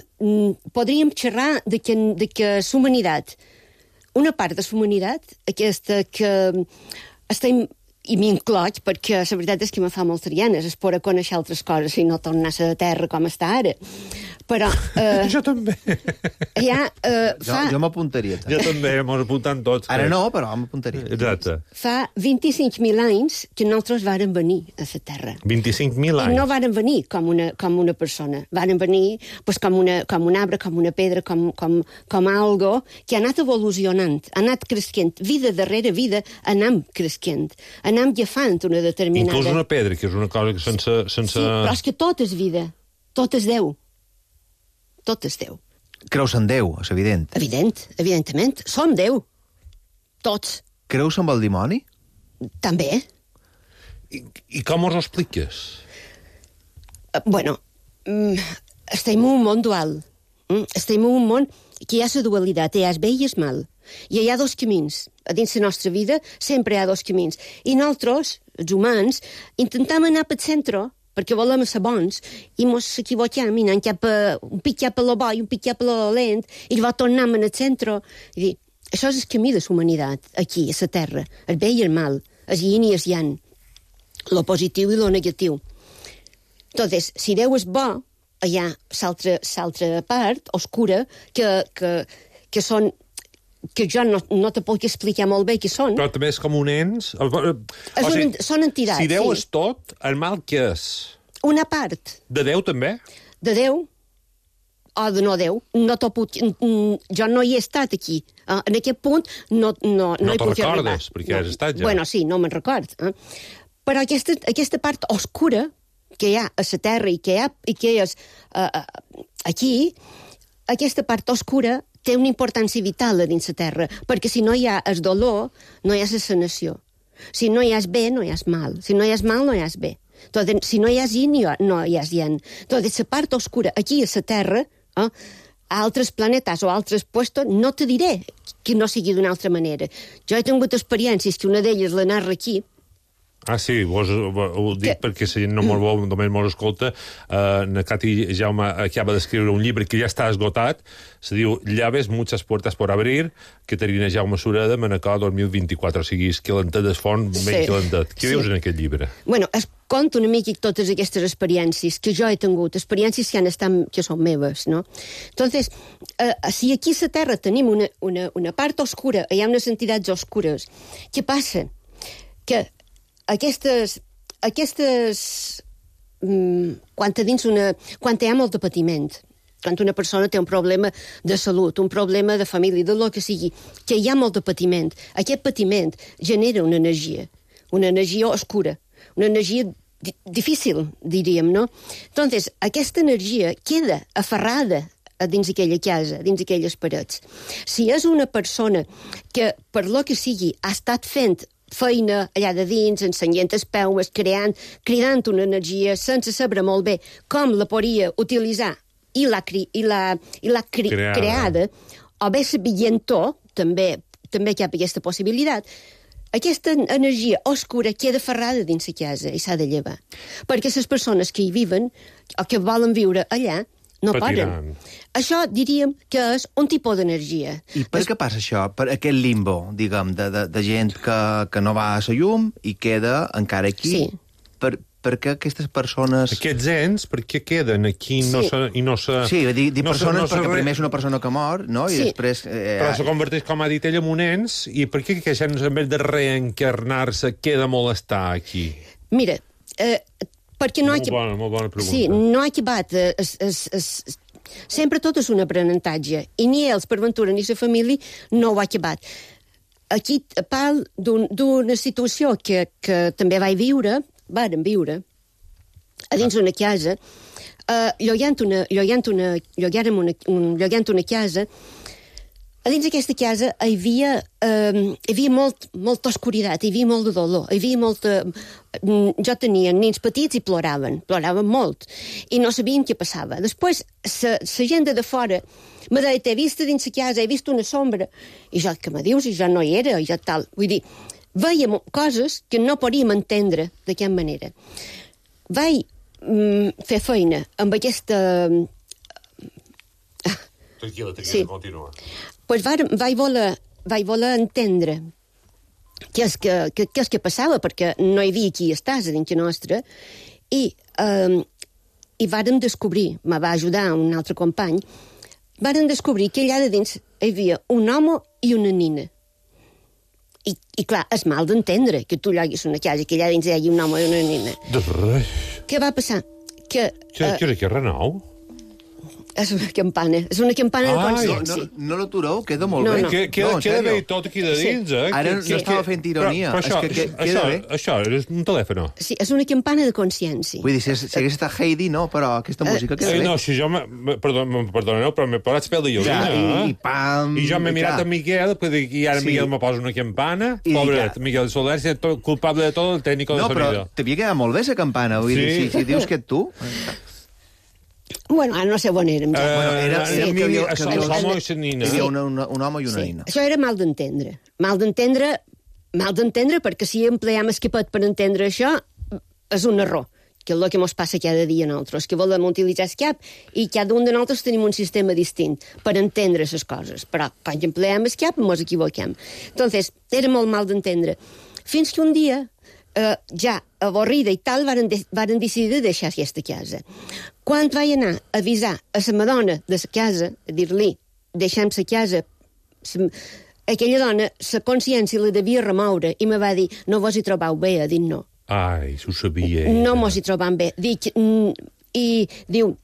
podríem xerrar de que, de que la humanitat, una part de la humanitat, aquesta que estem... i m'incloig, perquè la veritat és que me fa moltes ganes, es poder conèixer altres coses i no tornar a la terra com està ara. Però... Eh, jo també. Ja, eh, fa... Jo, jo m'apuntaria. Jo també, m'ho apuntant tots. Ara no, però m'apuntaria. Exacte. Fa vint-i-cinc mil anys que nosaltres vàrem venir a la terra. vint-i-cinc mil anys? I no vàrem venir com una, com una persona. Vàrem venir pues, com, una, com un arbre, com una pedra, com, com, com algo que ha anat evolucionant, ha anat creixent. Vida darrere vida anem creixent. Anem agafant una determinada... Inclús una pedra, que és una cosa que sense... sense... Sí, però és que tot és vida. Tot és Déu. Tot és Déu. Creus en Déu, és evident. Evident, evidentment. Som Déu. Tots. Creus en el dimoni? També. I, i com us ho expliques? Uh, bueno, mm, estem en un món dual. Mm? Estem en un món que hi ha la dualitat, hi ha el bé i el mal. I hi ha dos camins. A dins la nostra vida sempre hi ha dos camins. I nosaltres, els humans, intentem anar pel centre perquè volem ser bons i ens equivoquem i anem cap a, un pic cap a lo bo i un pic cap a lo dolent i llavors tornem al centre. I dir, això és el camí de la humanitat, aquí, a la Terra. El bé i el mal, el yin i el yang, lo positiu i lo negatiu. Entonces, si Déu és bo, hi ha l'altra part oscura que, que, que són que jo no, no te puc explicar molt bé què són. Però també és com un ens... O és sigui, un, són entitats, si Déu sí. és tot, el mal què és? Una part. De Déu també? De Déu o de no Déu. No puc, jo no hi he estat aquí. En aquest punt no, no, no, no hi puc arribar. No te'n recordes, perquè has estat ja. Bueno, sí, no me'n record. Eh? Però aquesta, aquesta part oscura que hi ha a la Terra i que hi ha, i que és uh, aquí, aquesta part oscura té una importància vital a dins la Terra, perquè si no hi ha el dolor, no hi ha la sanació. Si no hi ha bé, no hi ha mal. Si no hi ha mal, no hi ha bé. Entonces, si no hi ha yin, no hi ha yang. Entonces, la part oscura aquí a la Terra, eh, a altres planetes o a altres puestos, no te diré que no sigui d'una altra manera. Jo he tingut experiències que una d'elles la narra aquí. Ah, sí, vos, ho dic que... perquè si no molt bo, només mos escolta, eh, na Cati Jaume acaba d'escriure un llibre que ja està esgotat, se diu Llaves, muchas puertas por abrir, que Caterina Jaume Sureda, Manacor dos mil vint-i-quatre, o sigui, és calentet del font, sí. menys calentet. Què sí. dius en aquest llibre? Bueno, es conto una mica totes aquestes experiències que jo he tingut, experiències que han estat, que són meves, no? Entonces, eh, si aquí a la Terra tenim una, una, una part oscura, hi ha unes entitats oscures, què passa? Que Aquestes, aquestes mm, quan, dins una, quan hi ha molt de patiment, quan una persona té un problema de salut, un problema de família, de lo que sigui, que hi ha molt de patiment, aquest patiment genera una energia, una energia oscura, una energia di difícil, diríem, no? Entonces, aquesta energia queda aferrada dins aquella casa, dins aquelles parets. Si és una persona que, per lo que sigui, ha estat fent feina allà de dins, ensenyant els peus, creant, cridant una energia sense saber molt bé com la podria utilitzar i l'ha cre creada. creada, o bé sabient-ho, també, també hi ha aquesta possibilitat, aquesta energia oscura queda ferrada dins la casa i s'ha de llevar. Perquè les persones que hi viven o que volen viure allà no poden. Això diríem que és un tipus d'energia. I per es... què passa això? Per aquest limbo, diguem, de, de, de gent que, que no va a la llum i queda encara aquí? Sí. Per, per què aquestes persones... Aquests ens, per què queden aquí sí. no se, i no se... Sí, dir, dir no persones se, no perquè re... primer és una persona que mor, no? I sí. després... Eh, Però se converteix, com ha dit ella, en un ens, i per què que gent, en vez de reencarnar-se, queda molestar aquí? Mira, eh, perquè no molt, ha... bona, molt bona pregunta. Sí, no ha acabat... Eh, es, es, es... Sempre tot és un aprenentatge, i ni ells, per ventura, ni la família, no ho ha acabat. Aquí parlo d'una un, situació que, que també vaig viure, vàrem viure, a dins d'una casa, uh, llogant una, llogant una, llogàrem una, un, llogant una casa, A dins d'aquesta casa hi havia, eh, hi havia molt, molta oscuritat, hi havia molt de dolor, hi havia molta... Jo tenia nens petits i ploraven, ploraven molt, i no sabien què passava. Després, la gent de fora me deia, t'he vist dins la casa, he vist una sombra, i jo, què me dius? I jo no hi era, i jo tal. Vull dir, veiem coses que no podíem entendre de quina manera. Vaig mm, fer feina amb aquesta... Tranquil·la, tranquil·la, sí. Continua. Pues vaig, vaig, voler, vaig voler entendre què és que, que, què és que passava, perquè no hi havia qui estàs a dins nostra, i, eh, i vàrem descobrir, me va ajudar un altre company, vàrem descobrir que allà de dins hi havia un home i una nina. I, i clar, és mal d'entendre que tu lloguis una casa i que allà dins hi hagi un home i una nina. De res. Què va passar? Que... Què eh, era que Renau? És una campana, és una campana de consciència. No, no, no l'atureu, queda molt No, bé. no. Que, que, No, en queda sèrio. bé tot aquí de dins, Sí. eh? Ara Que- no que- estava que- fent ironia, Però, però és això, que que- queda això, bé. això és un telèfon. Sí, és una campana de consciència. Vull dir, si, si hagués estat Heidi, no, però aquesta música queda Eh, bé. no, si jo... me- me- Perdó, me- perdoneu, però m'he parat pel de Ja, llorina, i- i pam, I jo m'he i mirat clar. a Miguel, pues, i ara Sí. Miguel me posa una campana. I Pobret, clar. Miguel Soler, és tot, culpable de tot el tècnico No, de però sonido. t'havia quedat molt bé, la campana. Vull dir, Sí. si, si dius que ets tu... Bueno, ara no sé on érem. Ja. Eh, Bueno, era- sí. era que havia- que Això, havia- l'home i la nina. Hi havia una, una, un home i una Sí, nina. això era mal d'entendre. Mal d'entendre, mal d'entendre, perquè si empleam escapat per entendre això, és un error, que és el que ens passa cada dia a nosaltres, que volem utilitzar escap i cada un de nosaltres tenim un sistema distint per entendre les coses, però quan empleem escap ens equivoquem. Entonces, era molt mal d'entendre. Fins que un dia, eh, ja avorrida i tal, varen, de, varen decidir de deixar aquesta casa. Quan vaig anar a avisar a la madona de la casa, a dir-li, deixem la casa, sa, aquella dona, la consciència la devia remoure i me va dir, no vos hi trobau bé, a dir no. Ai, s'ho sabia. No mos hi trobam bé. Dic, mm, i diu,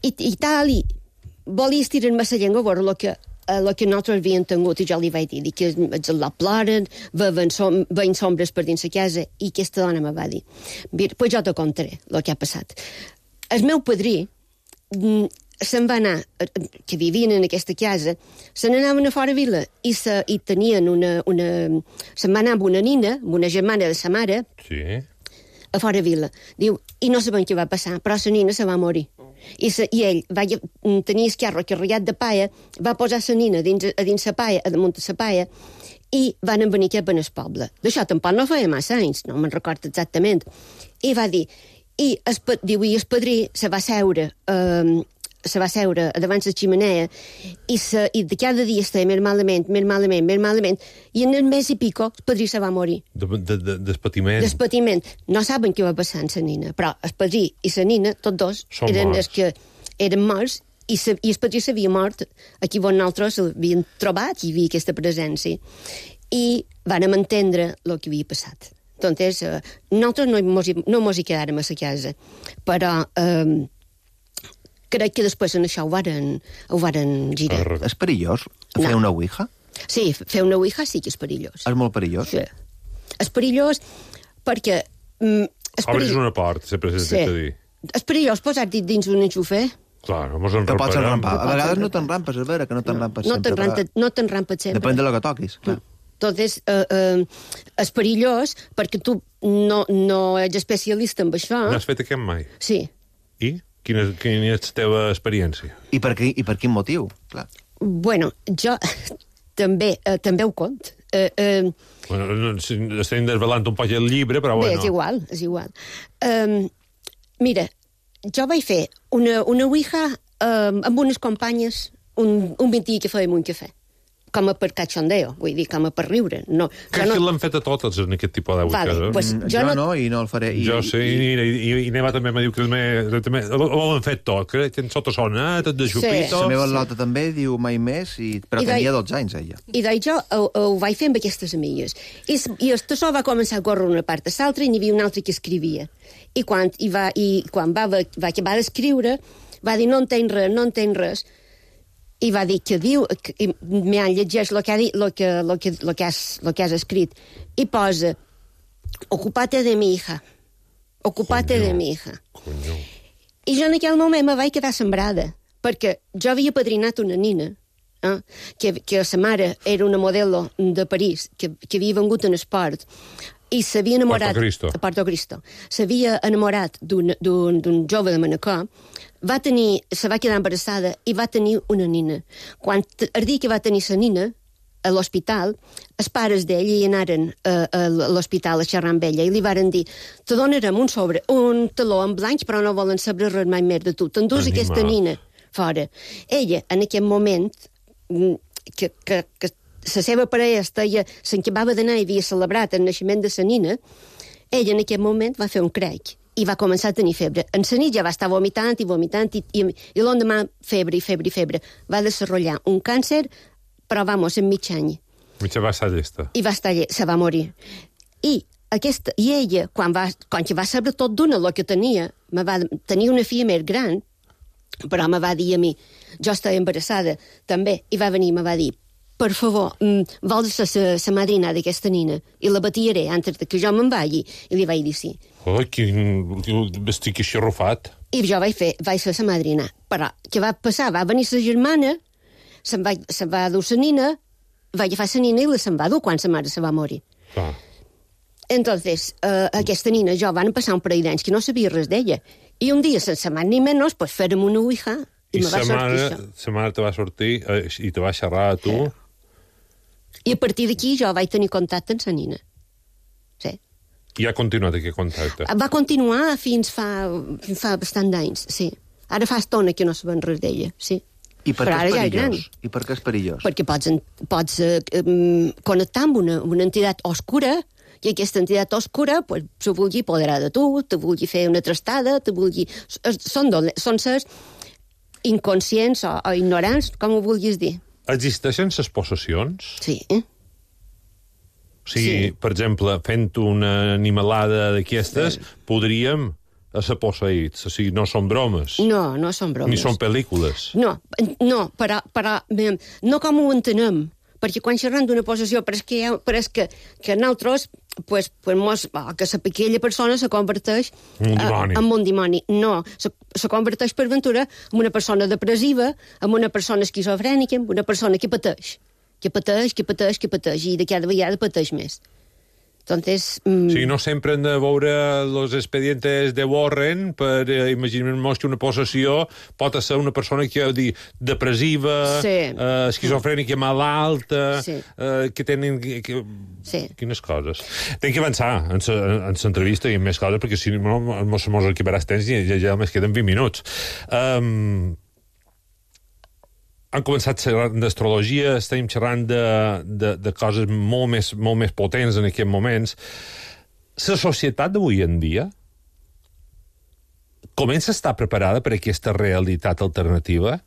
i, i tal, i volia estirar-me la llengua a veure el que, el que nosaltres havíem tingut, i jo li vaig dir, dic que els la ploren, veien, som, veien sombres per dins la casa, i aquesta dona me va dir, mira, pues jo te contaré el que ha passat. El meu padrí mm, se'n va anar, que vivien en aquesta casa, se n'anaven a fora vila i, se, i tenien una, una... Se'n va anar amb una nina, amb una germana de sa mare, Sí. a fora vila. Diu, i no sabem què va passar, però la nina se va morir. I, se, i ell va tenir esquerro carregat de paia, va posar la nina dins, a dins la paia, a damunt de la paia, i van venir cap en el poble. D'això tampoc no feia massa anys, no me'n recordo exactament. I va dir, i el, diu, i el padrí se va seure, eh, se va seure davant la ximenea i, se, i de cada dia estava més malament, més malament, més malament, i en el mes i pico el padrí se va morir. De, de, de, despatiment. Despatiment. No saben què va passar amb la nina, però el padrí i la nina, tots dos, Són eren morts. els que eren morts, i, sa, i el padrí s'havia mort aquí on nosaltres l'havien trobat, hi havia aquesta presència. I vàrem entendre el que havia passat. Entonces, eh, nosaltres no mos, hi, no mos hi quedàrem a la casa, però eh, crec que després en això ho varen, ho varen girar. És perillós fer No. una ouija? Sí, fer una ouija sí que és perillós. És molt perillós? Sí. És perillós perquè... Mm, és Obres perill- una porta, sempre s'ha Sí. dit a dir. És perillós posar-te dins un enxufer. Clar, mos Te pots enramparem. enrampar. A vegades no t'enrampes, és vera que no t'enrampes No sempre. t'enrampa, però no t'enrampes sempre. Depèn de lo que toquis, clar. Entonces, eh, eh, és perillós perquè tu no, no ets especialista en això. N'has fet aquest mai? Sí. I? Quina, quina és la teva experiència? I per, qui, I per quin motiu? Clar. Bueno, jo també, eh, també ho cont. Eh, eh, Bueno, no, si estem desvelant un poc el llibre, però Bé, bueno. és igual, és igual. Um, mira, jo vaig fer una, una ouija um, amb unes companyes un, un vint dia que fèiem un cafè. Com a per cachondeo, vull dir, com a per riure. No, Que jo no... no... l'han fet a totes en aquest tipus d'aules. Vale, pues Mm, jo jo no- no, i no el faré. I, Jo sé, i, i, i, i Neva també me diu que també, també ho han fet tot, que en sota sona, tot de xupito. La meva lota també diu mai més, i, però I de- tenia dotze anys, ella. I doncs jo ho, ho vaig fer amb aquestes amigues. I, s- i el tassó va començar a córrer una part a l'altra i n'hi havia un altre que escrivia. I quan, i va, i quan va, va, va acabar d'escriure, va dir, no entenc res, no entenc res. I va dir que diu, que, i m'ha llegeix el que, ha dit, lo que, lo que, lo que, has, lo que has escrit, i posa, ocupate de mi hija, ocupate Conyo. de mi hija. Conyo. I jo en aquell moment me vaig quedar sembrada, perquè jo havia padrinat una nina, eh? que, que la mare era una modelo de París, que, que havia vengut en esport, i s'havia enamorat... Porto Cristo. A Porto Cristo. S'havia enamorat d'un jove de Manacor, va tenir, se va quedar embarassada i va tenir una nina. Quan el dia que va tenir la nina, a l'hospital, els pares d'ell hi anaren a, a l'hospital a xerrar amb ella i li varen dir, te donarem un sobre, un taló en blanc, però no volen saber res mai més de tu. T'endús aquesta nina fora. Ella, en aquell moment, que, que, que la seva parella estaia, s'encabava d'anar i havia celebrat el naixement de la nina, ella en aquell moment va fer un crec i va començar a tenir febre. En la nit ja va estar vomitant i vomitant i, i, i l'endemà febre i febre i febre. Va desenvolupar un càncer, però, vamos, en mig any. Mitja va estar llesta. I va estar llesta, se va morir. I, aquesta, i ella, quan va, quan va saber tot d'una el que tenia, me va tenir una filla més gran, però me va dir a mi, jo estava embarassada també, i va venir i me va dir, per favor, vols ser la madrina d'aquesta nina? I la batiré antes que jo me'n vagi. I li vaig dir sí. Oh, quin... estic així arrufat. I jo vaig fer, vaig ser la madrina. Però què va passar? Va venir la germana, se'n va, se va dur la nina, va agafar la nina i la se'n va dur quan la mare se va morir. Ah. Entonces, uh, aquesta nina jo van passar un parell d'anys que no sabia res d'ella. I un dia, sense más ni menys, pues fèrem una ouija i, I me va sortir això. Sa mare te va sortir eh, i te va xerrar a tu? Sí. I a partir d'aquí jo vaig tenir contacte amb la nina. Sí. I ha continuat aquest contacte? Va continuar fins fa, fins fa bastant d'anys, sí. Ara fa estona que no sabem res d'ella, sí. I per Però què és ara ja perillós? I per què és perillós? Perquè pots, pots eh, um, connectar amb una, una entitat oscura i aquesta entitat oscura pues, se vulgui apoderar de tu, te vulgui fer una trastada, te vulgui... Són, dole... són sers inconscients o, o ignorants, com ho vulguis dir. Existeixen ses possessions? Sí. O sigui, sí. Per exemple, fent una animalada d'aquestes, sí. podríem a ser posseïts. O sigui, no són bromes. No, no són bromes. Ni són pel·lícules. No, no, però, però no com ho entenem. Perquè quan xerram d'una possessió, però és que, ha, però és que, que nosaltres, pues, pues mos, oh, que sa, aquella persona se converteix un dimoni. Uh, en un dimoni. No, se, se converteix per ventura en una persona depressiva, en una persona esquizofrènica, en una persona que pateix. Que pateix, que pateix, que pateix, i de cada vegada pateix més. Entonces, mm... O sigui, no sempre hem de veure els expedientes de Warren per eh, imaginar-nos que una possessió pot ser una persona que di, depressiva, sí. eh, esquizofrènica, malalta, sí. eh, que tenen... Que, que... Sí. Quines coses. Tenc que avançar en l'entrevista i en més coses, perquè si no mos acabaràs temps i ja, ja més queden vint minuts. Um, han començat xerrant d'astrologia, estem xerrant de, de, de coses molt més, molt més potents en aquests moments. La societat d'avui en dia comença a estar preparada per aquesta realitat alternativa?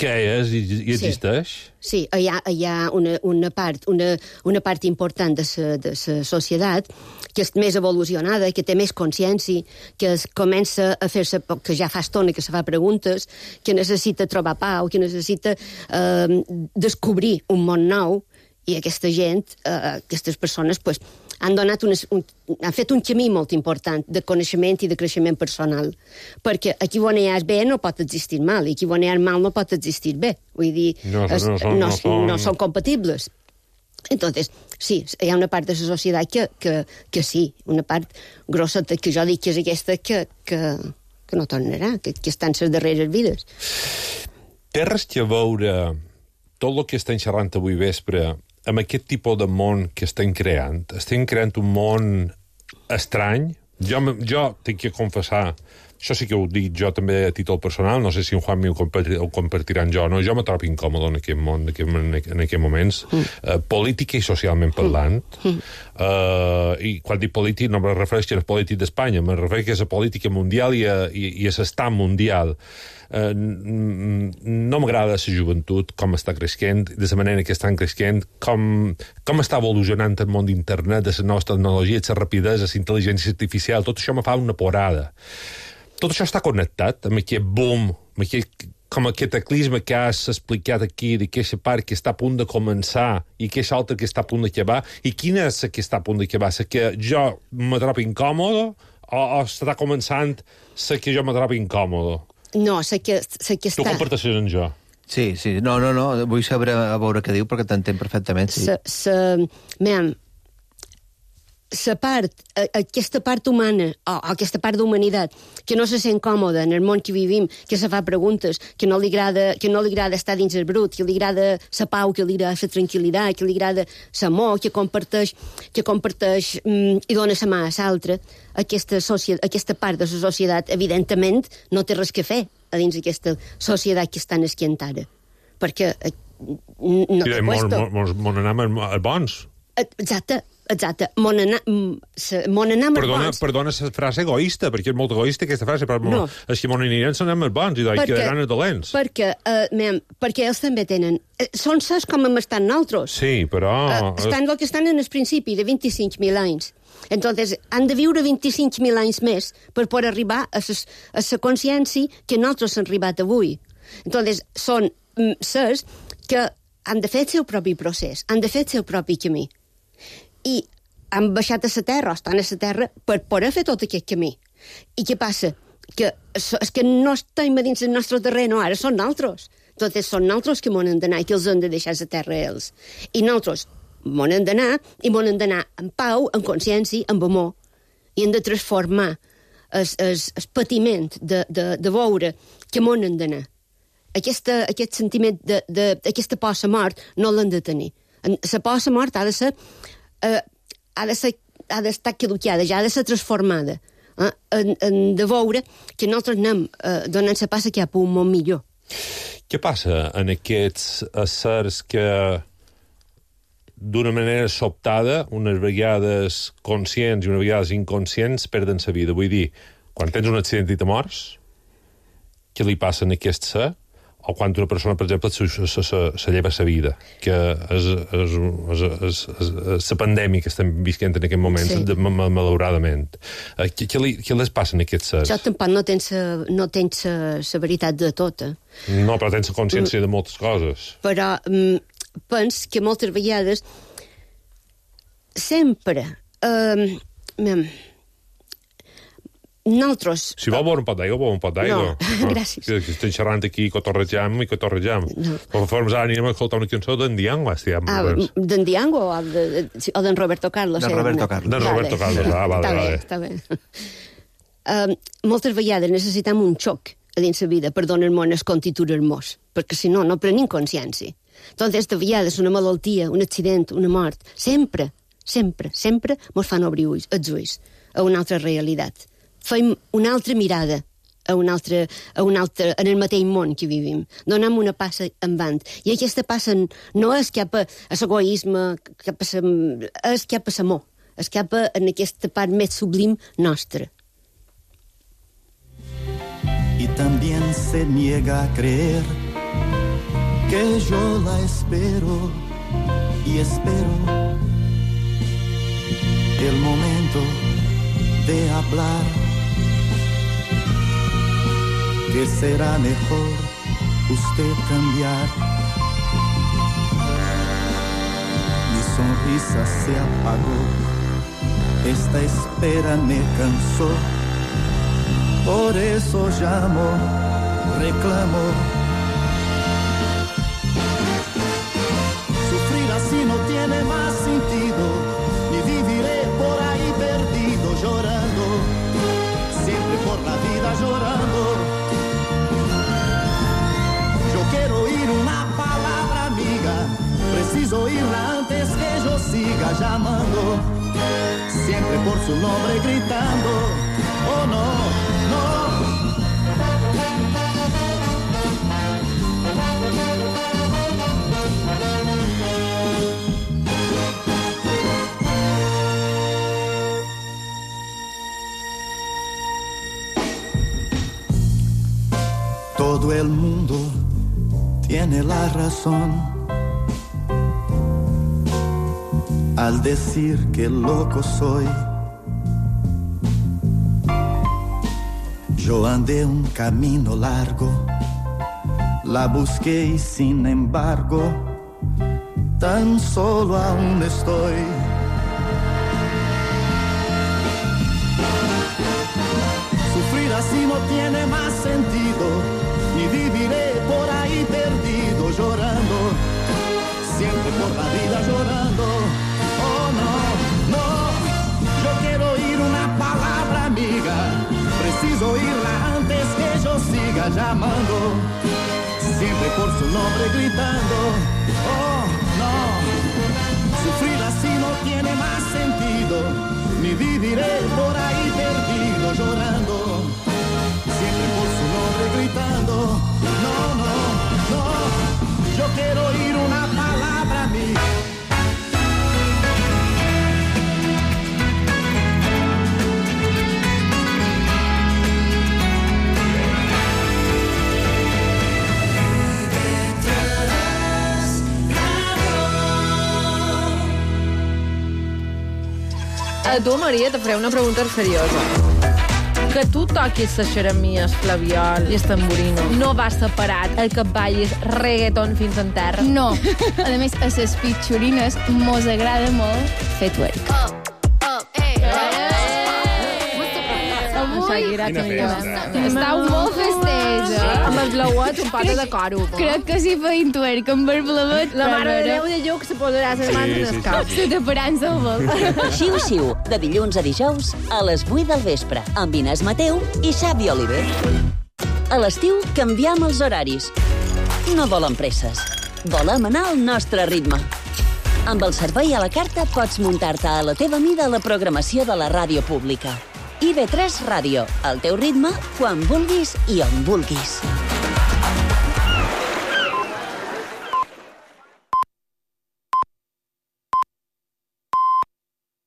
Què és i, i existeix? Sí, sí. Hi ha, hi ha una, una, part, una, una part important de la societat que és més evolucionada, que té més consciència, que es comença a fer-se, que ja fa estona que se fa preguntes, que necessita trobar pau, que necessita eh, descobrir un món nou, i aquesta gent, eh, aquestes persones, pues, han, donat unes, un, han fet un camí molt important de coneixement i de creixement personal. Perquè aquí on hi ha bé no pot existir mal, i aquí on hi ha mal no pot existir bé. Vull dir, no, es, no, són, no, no, són... no són compatibles. Entonces, sí, hi ha una part de la societat que, que, que sí, una part grossa que jo dic que és aquesta que, que, que no tornarà, que, que està en les darreres vides. Té res que veure tot el que estem xerrant avui vespre amb aquest tipus de món que estem creant? Estem creant un món estrany? Jo, jo tinc que confessar, això sí que ho dic jo també a títol personal, no sé si en Juanmi ho, compartir, ho compartiran jo, no? Jo me trobo incòmode en aquest món, en, aquest, en aquests moments, mm. uh, política i socialment parlant. Mm. Uh, I quan dic polític no me refereixo a la política d'Espanya, me refereixo a la política mundial i a, i, i a l'estat mundial. Uh, no m'agrada la joventut, com està creixent, de la manera que estan creixent, com, com està evolucionant el món d'internet, de les noves tecnologies, la rapidesa, la intel·ligència artificial, tot això me fa una porada. Tot això està connectat amb aquest boom, amb aquest, com aquest cataclisme que has explicat aquí, d'aquesta part que està a punt de començar i aquesta altra que està a punt d'acabar. I quina és la que està a punt d'acabar? La que jo me trobo incòmode o, o està començant la que jo me trobo incòmode? No, sé que, sé que està... Tu comparteixes amb jo. Sí, sí, no, no, no, vull saber a veure què diu perquè t'entenc perfectament. Sí. Sa, sa, mem, sa part, aquesta part humana, o aquesta part d'humanitat, que no se sent còmoda en el món que vivim, que se fa preguntes, que no li agrada, que no li agrada estar dins el brut, que li agrada la pau, que li agrada la tranquil·litat, que li agrada l'amor, que comparteix, que comparteix mm, i dona la mà a l'altre, aquesta, aquesta part de la societat, evidentment, no té res que fer a dins d'aquesta societat que estan esquient ara. Perquè eh, no té puesto. Mon anam bons. Exacte. Exacte. Mon anar amb perdona, bons. Perdona la frase egoista, perquè és molt egoista aquesta frase, però no. És que mon aniran són amb els bons i perquè, quedaran els dolents. Perquè, uh, mem, perquè ells també tenen... Eh, són ses com hem estat nosaltres. Sí, però... Uh, estan el que estan en el principi de vint-i-cinc mil anys. Entonces, han de viure vint-i-cinc mil anys més per poder arribar a la consciència que nosaltres hem arribat avui. Entonces, són mm, ses que han de fer el seu propi procés, han de fer el seu propi camí. I han baixat a la terra, o estan a la terra, per poder fer tot aquest camí. I què passa? Que és que no estem a dins del nostre terreny, ara són nosaltres. Entonces, són nosaltres que m'on hem d'anar i que els hem de deixar a la terra a ells. I nosaltres m'on hem d'anar, i m'on hem d'anar en pau, en consciència, amb amor. I hem de transformar el, el, el patiment de, de, de veure que m'on hem d'anar. Aquesta, aquest sentiment de, de, aquesta por a la mort no l'hem de tenir. La por a la mort ha de ser... Uh, ha de ser, ha d'estar caducada, ja ha de ser transformada, eh? en, en de veure que nosaltres anem uh, donant la passa cap a un món millor. Què passa en aquests éssers que d'una manera sobtada, unes vegades conscients i unes vegades inconscients, perden la vida? Vull dir, quan tens un accident i te mors, què li passa a aquest ser? O quan una persona, per exemple, se, se, se, se lleva la vida, que és, és, és, és, és la pandèmia que estem visquent en aquest moment, sí. de, malauradament. Què, què, li, què les passa en aquests sers? Jo tampoc no tens la no tens la veritat de tot. Eh? No, però tens la consciència mm. de moltes coses. Però mm, pens que moltes vegades sempre... Eh, mem, nosaltres... Si vol beure un pot d'aigua, beure un pot d'aigua. No, gràcies. Que estem xerrant aquí, cotorrejam i cotorrejam. No. Però forms ara anirem a escoltar una cançó d'en Diango, estem. Ah, d'en Diango o d'en Roberto Carlos? D'en Roberto Carlos. D'en Roberto Carlos, ah, vale, vale. Està bé, està bé. Moltes vegades necessitem un xoc a dins la vida per donar-nos el constituir-nos, perquè si no, no prenim consciència. Entonces, de vegades, una malaltia, un accident, una mort, sempre, sempre, sempre mos fan obrir ulls, els ulls a una altra realitat. Fem una altra mirada a un altre, a un altre, en el mateix món que vivim. Donem una passa endavant. I aquesta passa no és cap a, a l'egoisme, cap a sa, és cap a l'amor, és cap a en aquesta part més sublim nostra. Y también se niega a creer que yo la espero y espero el momento de hablar, que será mejor usted cambiar. Mi sonrisa se apagó, esta espera me cansó, por eso llamo, reclamo. Sufrir así no tiene más sentido, ni viviré por ahí perdido llorando, siempre por la vida llorando. Quiero oír una palabra amiga, preciso oírla antes que yo siga llamando, siempre por su nombre gritando, oh no, no. Todo el mundo tiene la razón al decir que loco soy. Yo andé un camino largo, la busqué y sin embargo tan solo aún estoy. Sufrir así no tiene más sentido, ni viviré por ahí perdido llorando, siempre por la vida llorando. Oh no, no, yo quiero oír una palabra amiga, preciso oírla antes que yo siga llamando, siempre por su nombre gritando. Oh no, sufrir así no tiene más sentido, ni viviré por ahí perdido llorando, siempre por su nombre gritando. No, no, no, yo quiero oír una palabra amiga. A tu, Maria, te faré una pregunta seriosa. Que tu toquis les xeremies, flaviol i el tamborino, no va separat el que ballis reggaeton fins en terra? No. A més, a les pitxorines mos agrada molt fer twerk. Shakira, que Estau molt festeja. Amb els blauets, un pata de coro. Crec que si feien twerk amb el blauet... La mare de Déu de Lluc se posarà les mans en el cap. Se taparan-se el vol. Xiu-xiu, de dilluns a dijous, a les vuit del vespre, amb Inés Mateu i Xavi Oliver. A l'estiu canviem els horaris. No volem presses. Volem anar al nostre ritme. Amb el servei a la carta pots muntar-te a la teva mida la programació de la ràdio pública. I ve tres Ràdio, al teu ritme, quan vulguis i on vulguis.